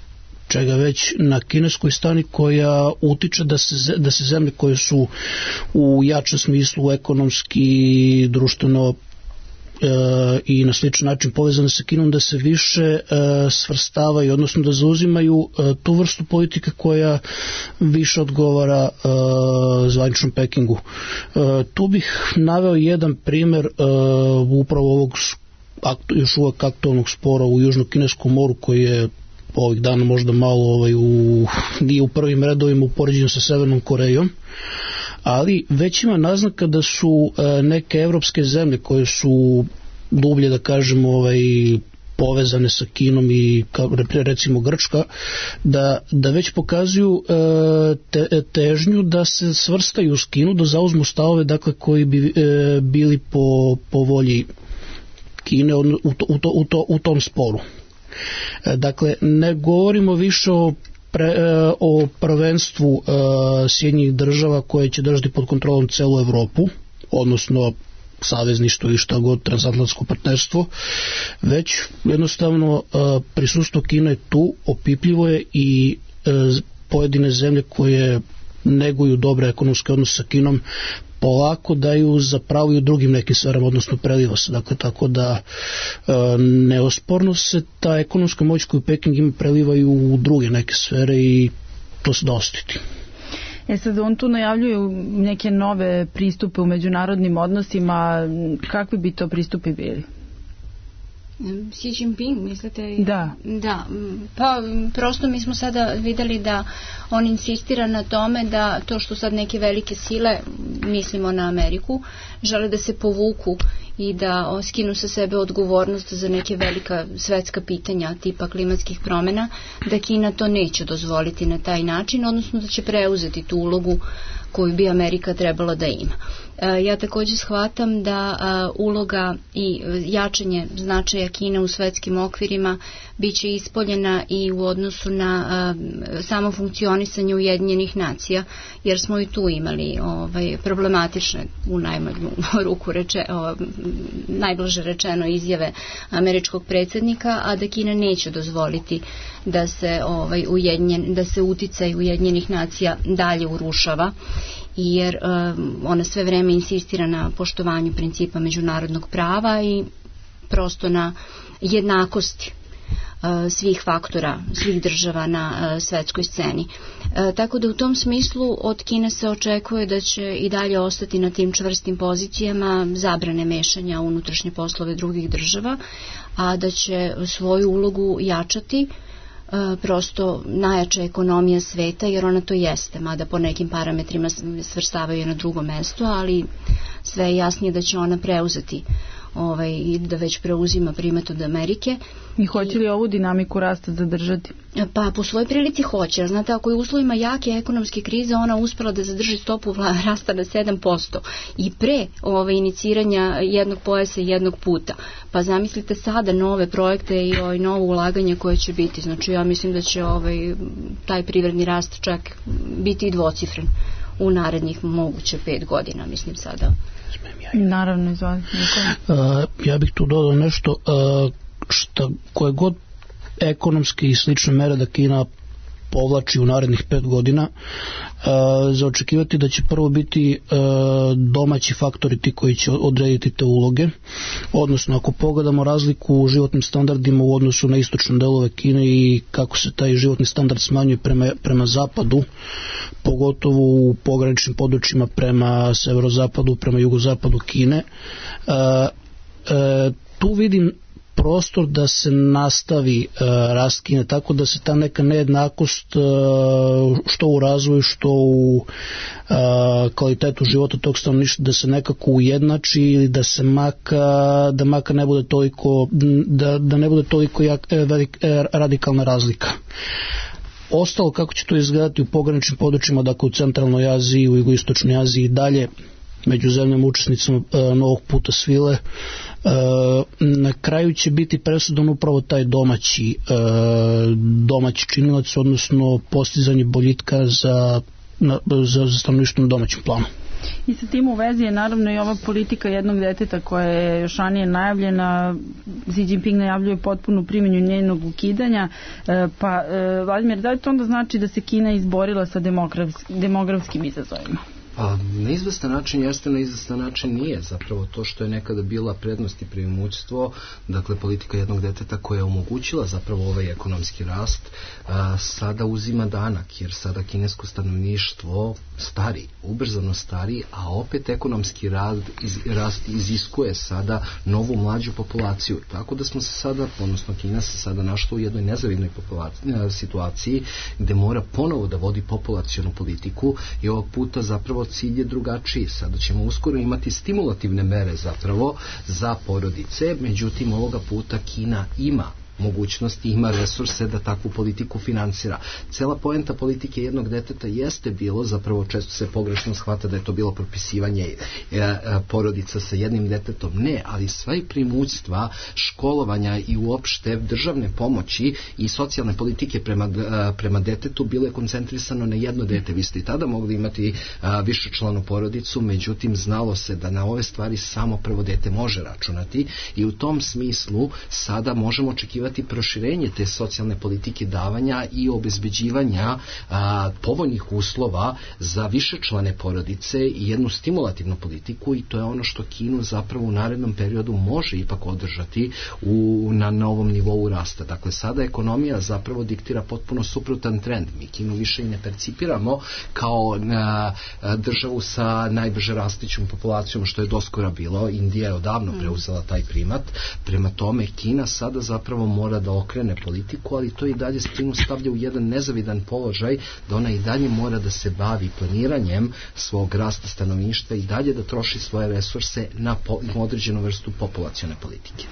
Speaker 2: čega već na kineskoj strani, koja utiče da se, da se zemlje koje su u jačem smislu ekonomski, društveno E, i na sličan način povezane sa Kinom, da se više e, svrstavaju, odnosno da zauzimaju e, tu vrstu politike koja više odgovara e, zvaničnom Pekingu. E, tu bih naveo jedan primjer e, upravo ovog aktu, još uvek aktualnog spora u Južno-Kineskom moru, koji je ovih dana možda malo ovaj, u, nije u prvim redovima u poređenju sa Severnom Korejom, ali već ima naznaka da su e, neke evropske zemlje koje su dublje, da kažemo, ovaj, povezane sa Kinom, i kao, recimo Grčka, da, da već pokazuju e, te, težnju da se svrstaju s Kinu, da zauzmu stavove, dakle, koji bi e, bili po, po volji Kine u, to, u, to, u, to, u tom sporu. E, dakle, ne govorimo više o Pre, o prvenstvu uh, Sjedinjenih država koje će držati pod kontrolom celu Evropu, odnosno savezništvo i šta god, transatlantsko partnerstvo, već jednostavno uh, prisustvo Kine tu, opipljivo je, i uh, pojedine zemlje koje neguju dobre ekonomske odnose sa Kinom polako daju zapravo i u drugim nekim sferama, odnosno preliva se. Dakle, tako da e, neosporno se ta ekonomska moć koju Peking ima preliva i u druge neke sfere, i to se da ostiti.
Speaker 4: E sad, on tu najavljuje neke nove pristupe u međunarodnim odnosima. Kakvi bi to pristupi bili?
Speaker 5: Xi Jinping, mislite?
Speaker 4: Da.
Speaker 5: Da, pa prosto mi smo sada videli da on insistira na tome da to što sad neke velike sile, mislimo na Ameriku, žele da se povuku i da skinu sa sebe odgovornost za neke velika svetska pitanja tipa klimatskih promjena, da Kina to neće dozvoliti na taj način, odnosno da će preuzeti tu ulogu koju bi Amerika trebala da ima. Ja također shvatam da uloga i jačanje značaja Kine u svetskim okvirima biće ispoljena i u odnosu na samo funkcionisanje Ujedinjenih nacija, jer smo i tu imali ovaj, problematične, u najmanju ruku reče, o, najblaže rečeno izjave američkog predsjednika, a da Kina neće dozvoliti da se, ovaj, ujedinjen, da se uticaj Ujedinjenih nacija dalje urušava, jer um, ona sve vreme insistira na poštovanju principa međunarodnog prava i prosto na jednakosti uh, svih faktora, svih država na uh, svetskoj sceni. Uh, tako da u tom smislu od Kine se očekuje da će i dalje ostati na tim čvrstim pozicijama zabrane mešanja u unutrašnje poslove drugih država, a da će svoju ulogu jačati prosto najjača ekonomija sveta, jer ona to jeste, mada po nekim parametrima svrstavaju je na drugo mesto, ali sve je jasnije da će ona preuzeti ovaj, i da već preuzima primat od Amerike.
Speaker 4: I hoće li ovu dinamiku rasta zadržati?
Speaker 5: Pa po svojoj prilici hoće. Znate, ako je u uslovima jake ekonomske krize ona uspela da zadrži stopu rasta na sedam posto i pre ovaj, iniciranja jednog pojasa i jednog puta. Pa zamislite sada nove projekte i ovaj, novo ulaganje koje će biti. Znači ja mislim da će ovaj, taj privredni rast čak biti i dvocifren u narednih moguće pet godina, mislim sada.
Speaker 4: Naravno, izvali.
Speaker 2: Uh, ja bih tu dodao nešto uh, šta, koje god ekonomske i slične mere da Kina povlači u narednih pet godina, uh, za očekivati da će prvo biti uh, domaći faktori ti koji će odrediti te uloge, odnosno ako pogledamo razliku u životnim standardima u odnosu na istočne delove Kine i kako se taj životni standard smanjuje prema, prema zapadu, pogotovo u pograničnim područjima prema severozapadu, prema jugozapadu Kine, uh, uh, tu vidim prostor da se nastavi uh, rast Kine, tako da se ta neka nejednakost uh, što u razvoju, što u uh, kvalitetu života tog stanovništva da se nekako ujednači ili da se maka, da maka ne bude toliko, da, da ne bude toliko jak, velik, radikalna razlika. Ostalo kako će to izgledati u pograničnim područjima, dakle u centralnoj Aziji, u jugoistočnoj Aziji i dalje, među zemljama učesnicama e, novog puta svile, e, na kraju će biti presudan upravo taj domaći e, domaći činilac, odnosno postizanje boljitka za, na, za, za stanovništvo na domaćem planu.
Speaker 4: I sa tim u vezi je naravno i ova politika jednog deteta koja je još ranije najavljena. Xi Jinping najavljuje potpunu primjenju njenog ukidanja. E, pa, e, Vladimir, da li to onda znači da se Kina izborila sa demografskim izazovima?
Speaker 6: Pa na izvestan način jeste, na izvestan način nije. Zapravo to što je nekada bila prednost i preimoćstvo, dakle politika jednog deteta koja je omogućila zapravo ovaj ekonomski rast, a, sada uzima danak, jer sada kinesko stanovništvo stari, ubrzano stari, a opet ekonomski rast, iz, rast iziskuje sada novu mlađu populaciju. Tako da smo se sada, odnosno Kina se sada našla u jednoj nezavidnoj situaciji gde mora ponovo da vodi populacionu politiku i ovog puta zapravo cilj je drugačiji. Sada ćemo uskoro imati stimulativne mere zapravo za porodice, međutim ovoga puta Kina ima mogućnosti, ima resurse da takvu politiku finansira. Cela poenta politike jednog deteta jeste bilo, zapravo često se pogrešno shvata da je to bilo propisivanje e, e, porodica sa jednim detetom. Ne, ali sve primućstva školovanja i uopšte državne pomoći i socijalne politike prema, e, prema detetu bilo je koncentrisano na jedno dete. Vi ste i tada mogli imati višečlanu porodicu, međutim znalo se da na ove stvari samo prvo dete može računati i u tom smislu sada možemo očekivati očekivati proširenje te socijalne politike davanja i obezbeđivanja a, povoljnih uslova za višečlane porodice i jednu stimulativnu politiku, i to je ono što Kinu zapravo u narednom periodu može ipak održati u, na novom nivou rasta. Dakle, sada ekonomija zapravo diktira potpuno suprotan trend. Mi Kinu više i ne percipiramo kao a, a, državu sa najbrže rastućom populacijom, što je doskora bilo. Indija je odavno preuzela taj primat. Prema tome, Kina sada zapravo mora da okrene politiku, ali to i dalje Kinu stavlja u jedan nezavidan položaj, da ona i dalje mora da se bavi planiranjem svog rasta stanovništva i dalje da troši svoje resurse na po, određenu vrstu populacione politike.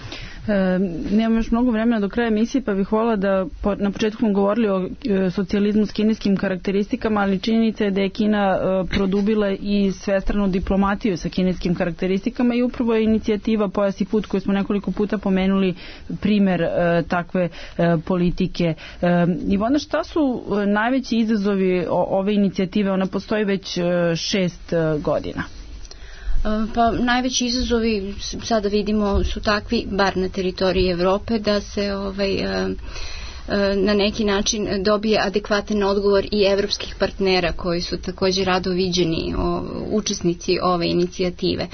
Speaker 4: E, nemam još mnogo vremena do kraja emisije, pa bih volila da po, na početku smo govorili o e, socijalizmu s kineskim karakteristikama, ali činjenica je da je Kina e, produbila i svestranu diplomatiju sa kineskim karakteristikama i upravo je inicijativa Pojas i put koju smo nekoliko puta pomenuli primer e, takve e, politike. E, Ivona, šta su e, najveći izazovi o, ove inicijative? Ona postoji već e, šest e, godina.
Speaker 5: Pa najveći izazovi sada vidimo su takvi, bar na teritoriji Evrope, da se ovaj na neki način dobije adekvatan odgovor i evropskih partnera koji su također rado viđeni o, učesnici ove inicijative.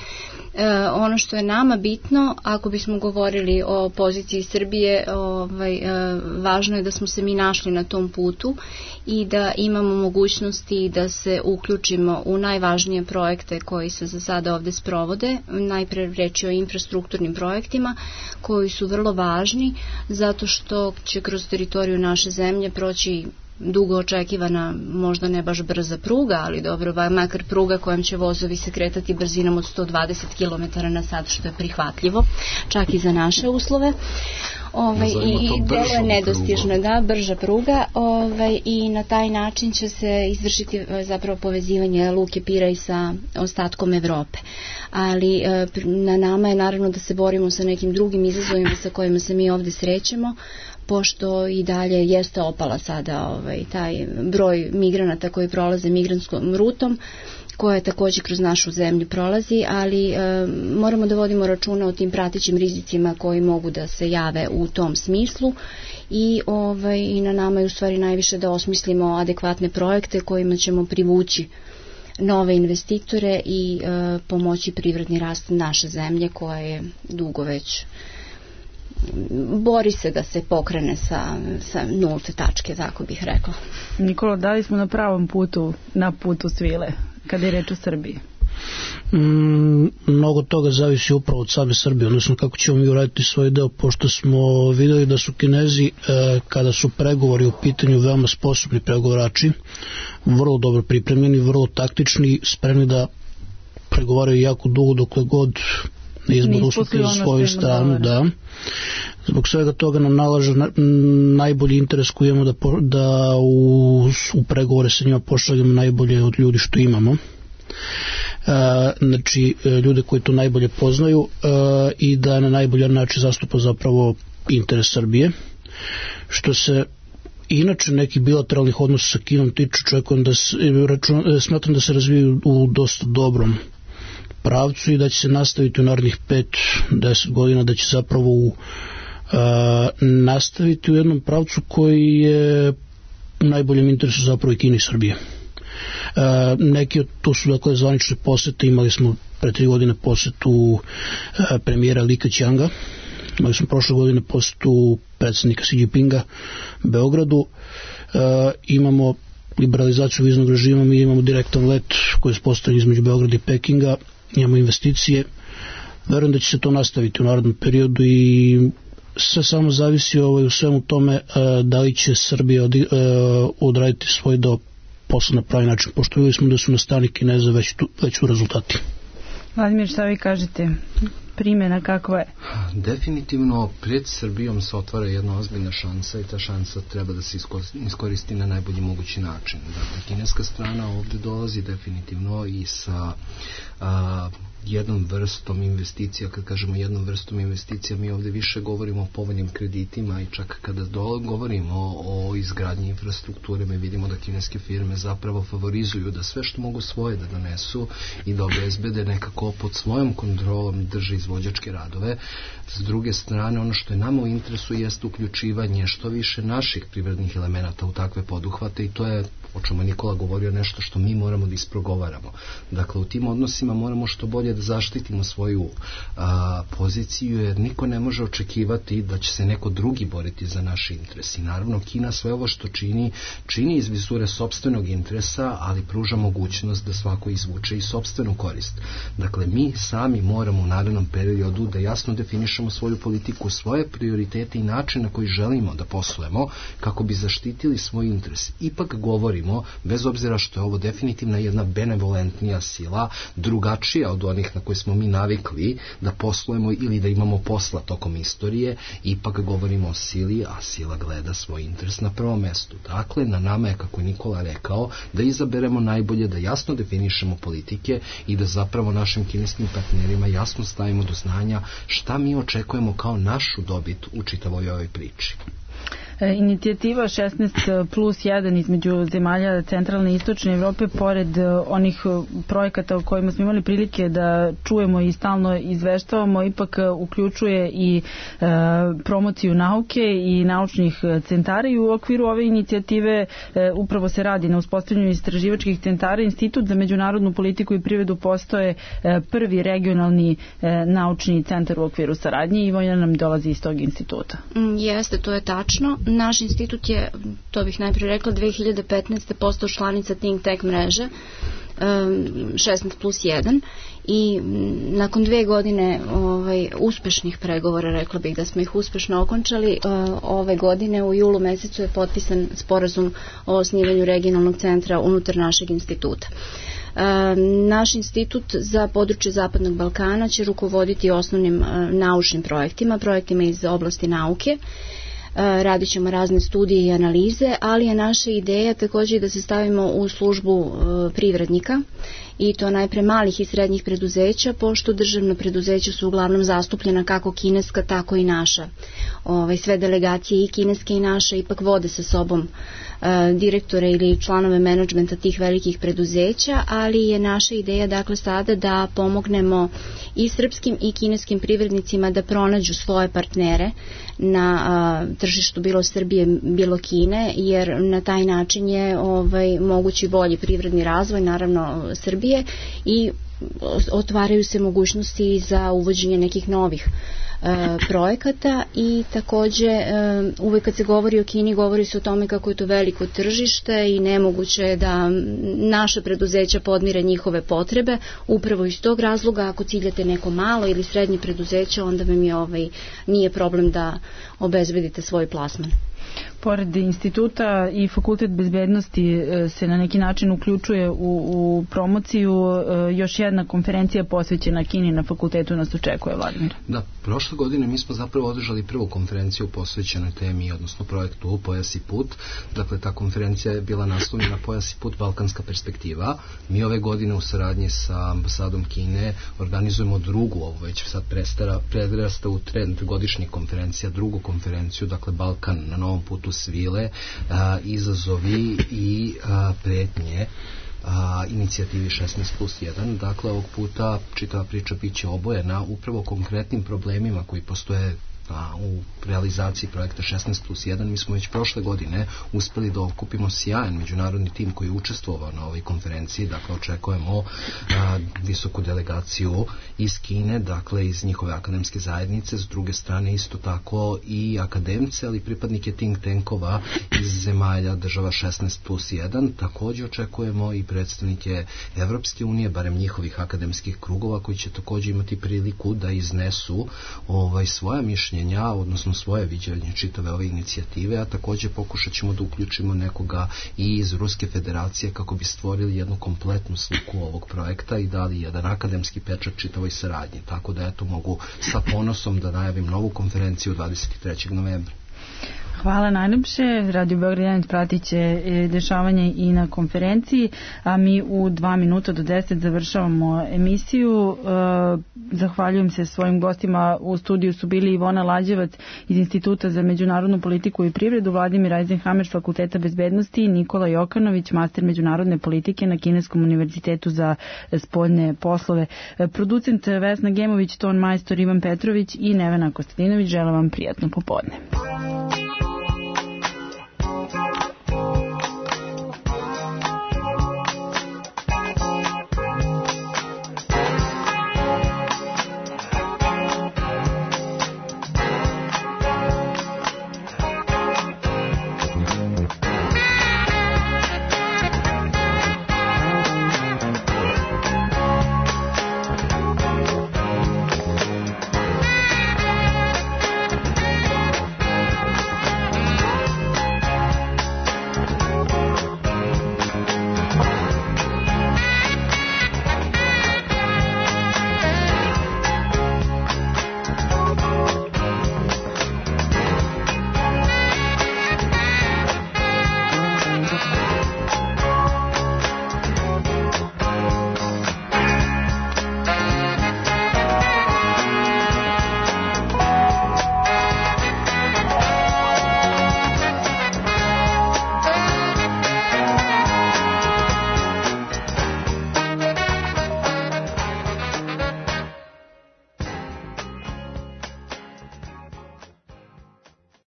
Speaker 5: E, ono što je nama bitno, ako bismo govorili o poziciji Srbije, ovaj, e, važno je da smo se mi našli na tom putu i da imamo mogućnosti da se uključimo u najvažnije projekte koji se za sada ovde sprovode. Najpre reći o infrastrukturnim projektima koji su vrlo važni zato što će kroz teritoriju naše zemlje proći dugo očekivana, možda ne baš brza pruga, ali dobro, makar pruga kojom će vozovi se kretati brzinom od sto dvadeset kilometara na sat, što je prihvatljivo, čak i za naše uslove. Ovaj, i delo je nedostižno, da, brža pruga, ovaj, i na taj način će se izvršiti zapravo povezivanje Luke Piraj sa ostatkom Evrope. Ali na nama je naravno da se borimo sa nekim drugim izazovima sa kojima se mi ovde srećemo, pošto i dalje jeste opala sada ovaj, taj broj migranata koji prolaze migrantskom rutom, koja također kroz našu zemlju prolazi, ali e, moramo da vodimo računa o tim pratećim rizicima koji mogu da se jave u tom smislu i, ovaj, i na nama je u stvari najviše da osmislimo adekvatne projekte kojima ćemo privući nove investitore i e, pomoći privredni rast naše zemlje koja je dugo već bori se da se pokrene sa, sa nulte tačke, tako bih rekla.
Speaker 4: Nikola, da li smo na pravom putu, na putu svile, kada je reč o Srbiji?
Speaker 2: Mm, mnogo toga zavisi upravo od same Srbije, odnosno kako ćemo mi uraditi svoj deo, pošto smo videli da su Kinezi, e, kada su pregovori u pitanju, veoma sposobni pregovarači, vrlo dobro pripremljeni, vrlo taktični, spremni da pregovaraju jako dugo dokle god na izbor uslutili svoju stranu, da. Zbog svega toga nam nalaže na, najbolji interes koji imamo da, po, da u, u pregovore sa njima pošaljamo najbolje od ljudi što imamo. E, znači, ljude koji to najbolje poznaju e, i da na najbolji način zastupa zapravo interes Srbije. Što se inače nekih bilateralnih odnosa sa Kinom tiču, čekujem da se, račun, smatram da se razviju u dosta dobrom pravcu i da će se nastaviti u narednih pet do deset godina, da će zapravo u, uh, nastaviti u jednom pravcu koji je u najboljem interesu zapravo i Kine i Srbije. Uh, neki od to su dakle zvanične posete, imali smo pre tri godine posetu uh, premijera Li Keqianga, imali smo prošle godine posetu predsjednika Xi Jinpinga Beogradu, uh, imamo liberalizaciju viznog režima, mi imamo direktan let koji je postavljen između Beograda i Pekinga, imamo investicije, verujem da će se to nastaviti u narednom periodu i sve samo zavisi ovaj, u svemu tome uh, da li će Srbija od, uh, odraditi svoj deo posla na pravi način, pošto vidjeli smo da su na strani Kineza već, tu, već u rezultati.
Speaker 4: Vladimir, šta vi kažete? Primjena kakva je?
Speaker 6: Definitivno pred Srbijom se otvara jedna ozbiljna šansa i ta šansa treba da se iskoristi na najbolji mogući način. Dakle, kineska strana ovdje dolazi definitivno i sa a, jednom vrstom investicija. Kad kažemo jednom vrstom investicija, mi ovde više govorimo o povoljnim kreditima i čak kada do, govorimo o, o izgradnji infrastrukture, mi vidimo da kineske firme zapravo favorizuju da sve što mogu svoje da donesu i da obezbede nekako pod svojom kontrolom drže izvođačke radove. S druge strane, ono što je nama u interesu jeste uključivanje što više naših privrednih elemenata u takve poduhvate i to je, o čemu Nikola govorio, nešto što mi moramo da isprogovaramo. Dakle, u tim odnosima moramo što bolje da zaštitimo svoju a, poziciju, jer niko ne može očekivati da će se neko drugi boriti za naše interesi. Naravno, Kina sve ovo što čini, čini iz vizure sopstvenog interesa, ali pruža mogućnost da svako izvuče i sopstvenu korist. Dakle, mi sami moramo u narednom periodu da jasno definišemo svoju politiku, svoje prioritete i način na koji želimo da poslujemo kako bi zaštitili svoj interes. Ipak govorimo, bez obzira što je ovo definitivna jedna benevolentnija sila, drugačija od onih na koje smo mi navikli da poslujemo ili da imamo posla tokom istorije, ipak govorimo o sili, a sila gleda svoj interes na prvom mestu. Dakle, na nama je, kako je Nikola rekao, da izaberemo najbolje, da jasno definišemo politike i da zapravo našim kineskim partnerima jasno stavimo do znanja šta mi očekujemo kao našu dobit u čitavoj ovoj priči.
Speaker 4: Inicijativa šesnaest plus jedan između zemalja centralne i istočne Evrope, pored onih projekata o kojima smo imali prilike da čujemo i stalno izveštavamo, ipak uključuje i e, promociju nauke i naučnih centara i u okviru ove inicijative e, upravo se radi na uspostavljanju istraživačkih centara. Institut za međunarodnu politiku i privredu postoje e, prvi regionalni e, naučni centar u okviru saradnje i Vojna nam dolazi iz tog instituta.
Speaker 5: Mm, jeste, to je tačno. Naš institut je, to bih najprije rekla, dve hiljade petnaeste. postao članica Think Tank mreže šesnaest plus jedan i nakon dve godine ovaj, uspešnih pregovora, rekla bih da smo ih uspešno okončali, ove godine u julu mesecu je potpisan sporazum o osnivanju regionalnog centra unutar našeg instituta. Naš institut za područje Zapadnog Balkana će rukovoditi osnovnim naučnim projektima, projektima iz oblasti nauke. Radit ćemo razne studije i analize, ali je naša ideja također da se stavimo u službu privrednika i to najpre malih i srednjih preduzeća, pošto državna preduzeća su uglavnom zastupljena kako kineska, tako i naša. Ove, sve delegacije i kineske i naše ipak vode sa sobom e, direktore ili članove menadžmenta tih velikih preduzeća, ali je naša ideja dakle sada da pomognemo i srpskim i kineskim privrednicima da pronađu svoje partnere na a, tržištu bilo Srbije, bilo Kine, jer na taj način je ovaj, mogući bolji privredni razvoj, naravno Srbije, i otvaraju se mogućnosti za uvođenje nekih novih e, projekata i takođe e, uvek kad se govori o Kini govori se o tome kako je to veliko tržište i nemoguće je da naša preduzeća podmire njihove potrebe. Upravo iz tog razloga, ako ciljate neko malo ili srednje preduzeće, onda vam je ovaj, nije problem da obezbedite svoj plasman.
Speaker 4: Pored instituta i Fakultet bezbednosti se na neki način uključuje u, u promociju. Još jedna konferencija posvećena Kini na fakultetu nas očekuje, Vladimir.
Speaker 6: Da, prošle godine mi smo zapravo održali prvu konferenciju posvećenoj temi, odnosno projektu Pojas i put. Dakle, ta konferencija je bila naslovljena Pojas i put, Balkanska perspektiva. Mi ove godine u saradnji sa ambasadom Kine organizujemo drugu, ovo već sad prestara, predrasta u trend godišnjih konferencija, drugu konferenciju, dakle Balkan na novom putu svile, a, izazovi i a, pretnje a, inicijativi šesnaest plus jedan. Dakle, ovog puta čitava priča biće obojena upravo konkretnim problemima koji postoje a, u realizaciji projekta šesnaest plus jedan. Mi smo već prošle godine uspeli da okupimo sjajan međunarodni tim koji je učestvovao na ovoj konferenciji. Dakle, očekujemo a, visoku delegaciju iz Kine, dakle iz njihove akademske zajednice, s druge strane isto tako i akademce, ali pripadnike think tankova iz zemalja država šesnaest plus jedan. Također očekujemo i predstavnike Evropske unije, barem njihovih akademskih krugova, koji će također imati priliku da iznesu ovaj, svoja mišljenja, odnosno svoje viđenje čitave ove inicijative, a također pokušat ćemo da uključimo nekoga i iz Ruske federacije kako bi stvorili jednu kompletnu sliku ovog projekta i dali jedan akademski pečat čitavoj saradnji. Tako da eto mogu sa ponosom da najavim novu konferenciju dvadeset trećeg novembra.
Speaker 4: Hvala najljepše. Radio Beograd jedan pratit će dešavanje i na konferenciji, a mi u dva minuta do deset završavamo emisiju. Zahvaljujem se svojim gostima. U studiju su bili Ivona Lađevac iz Instituta za međunarodnu politiku i privredu, Vladimir Eisenhammer s Fakulteta bezbednosti, Nikola Jokanović, master međunarodne politike na Kineskom univerzitetu za spoljne poslove. Producent Vesna Gemović, ton majstor Ivan Petrović i Nevena Kostadinović. Želim vam prijatno popodne.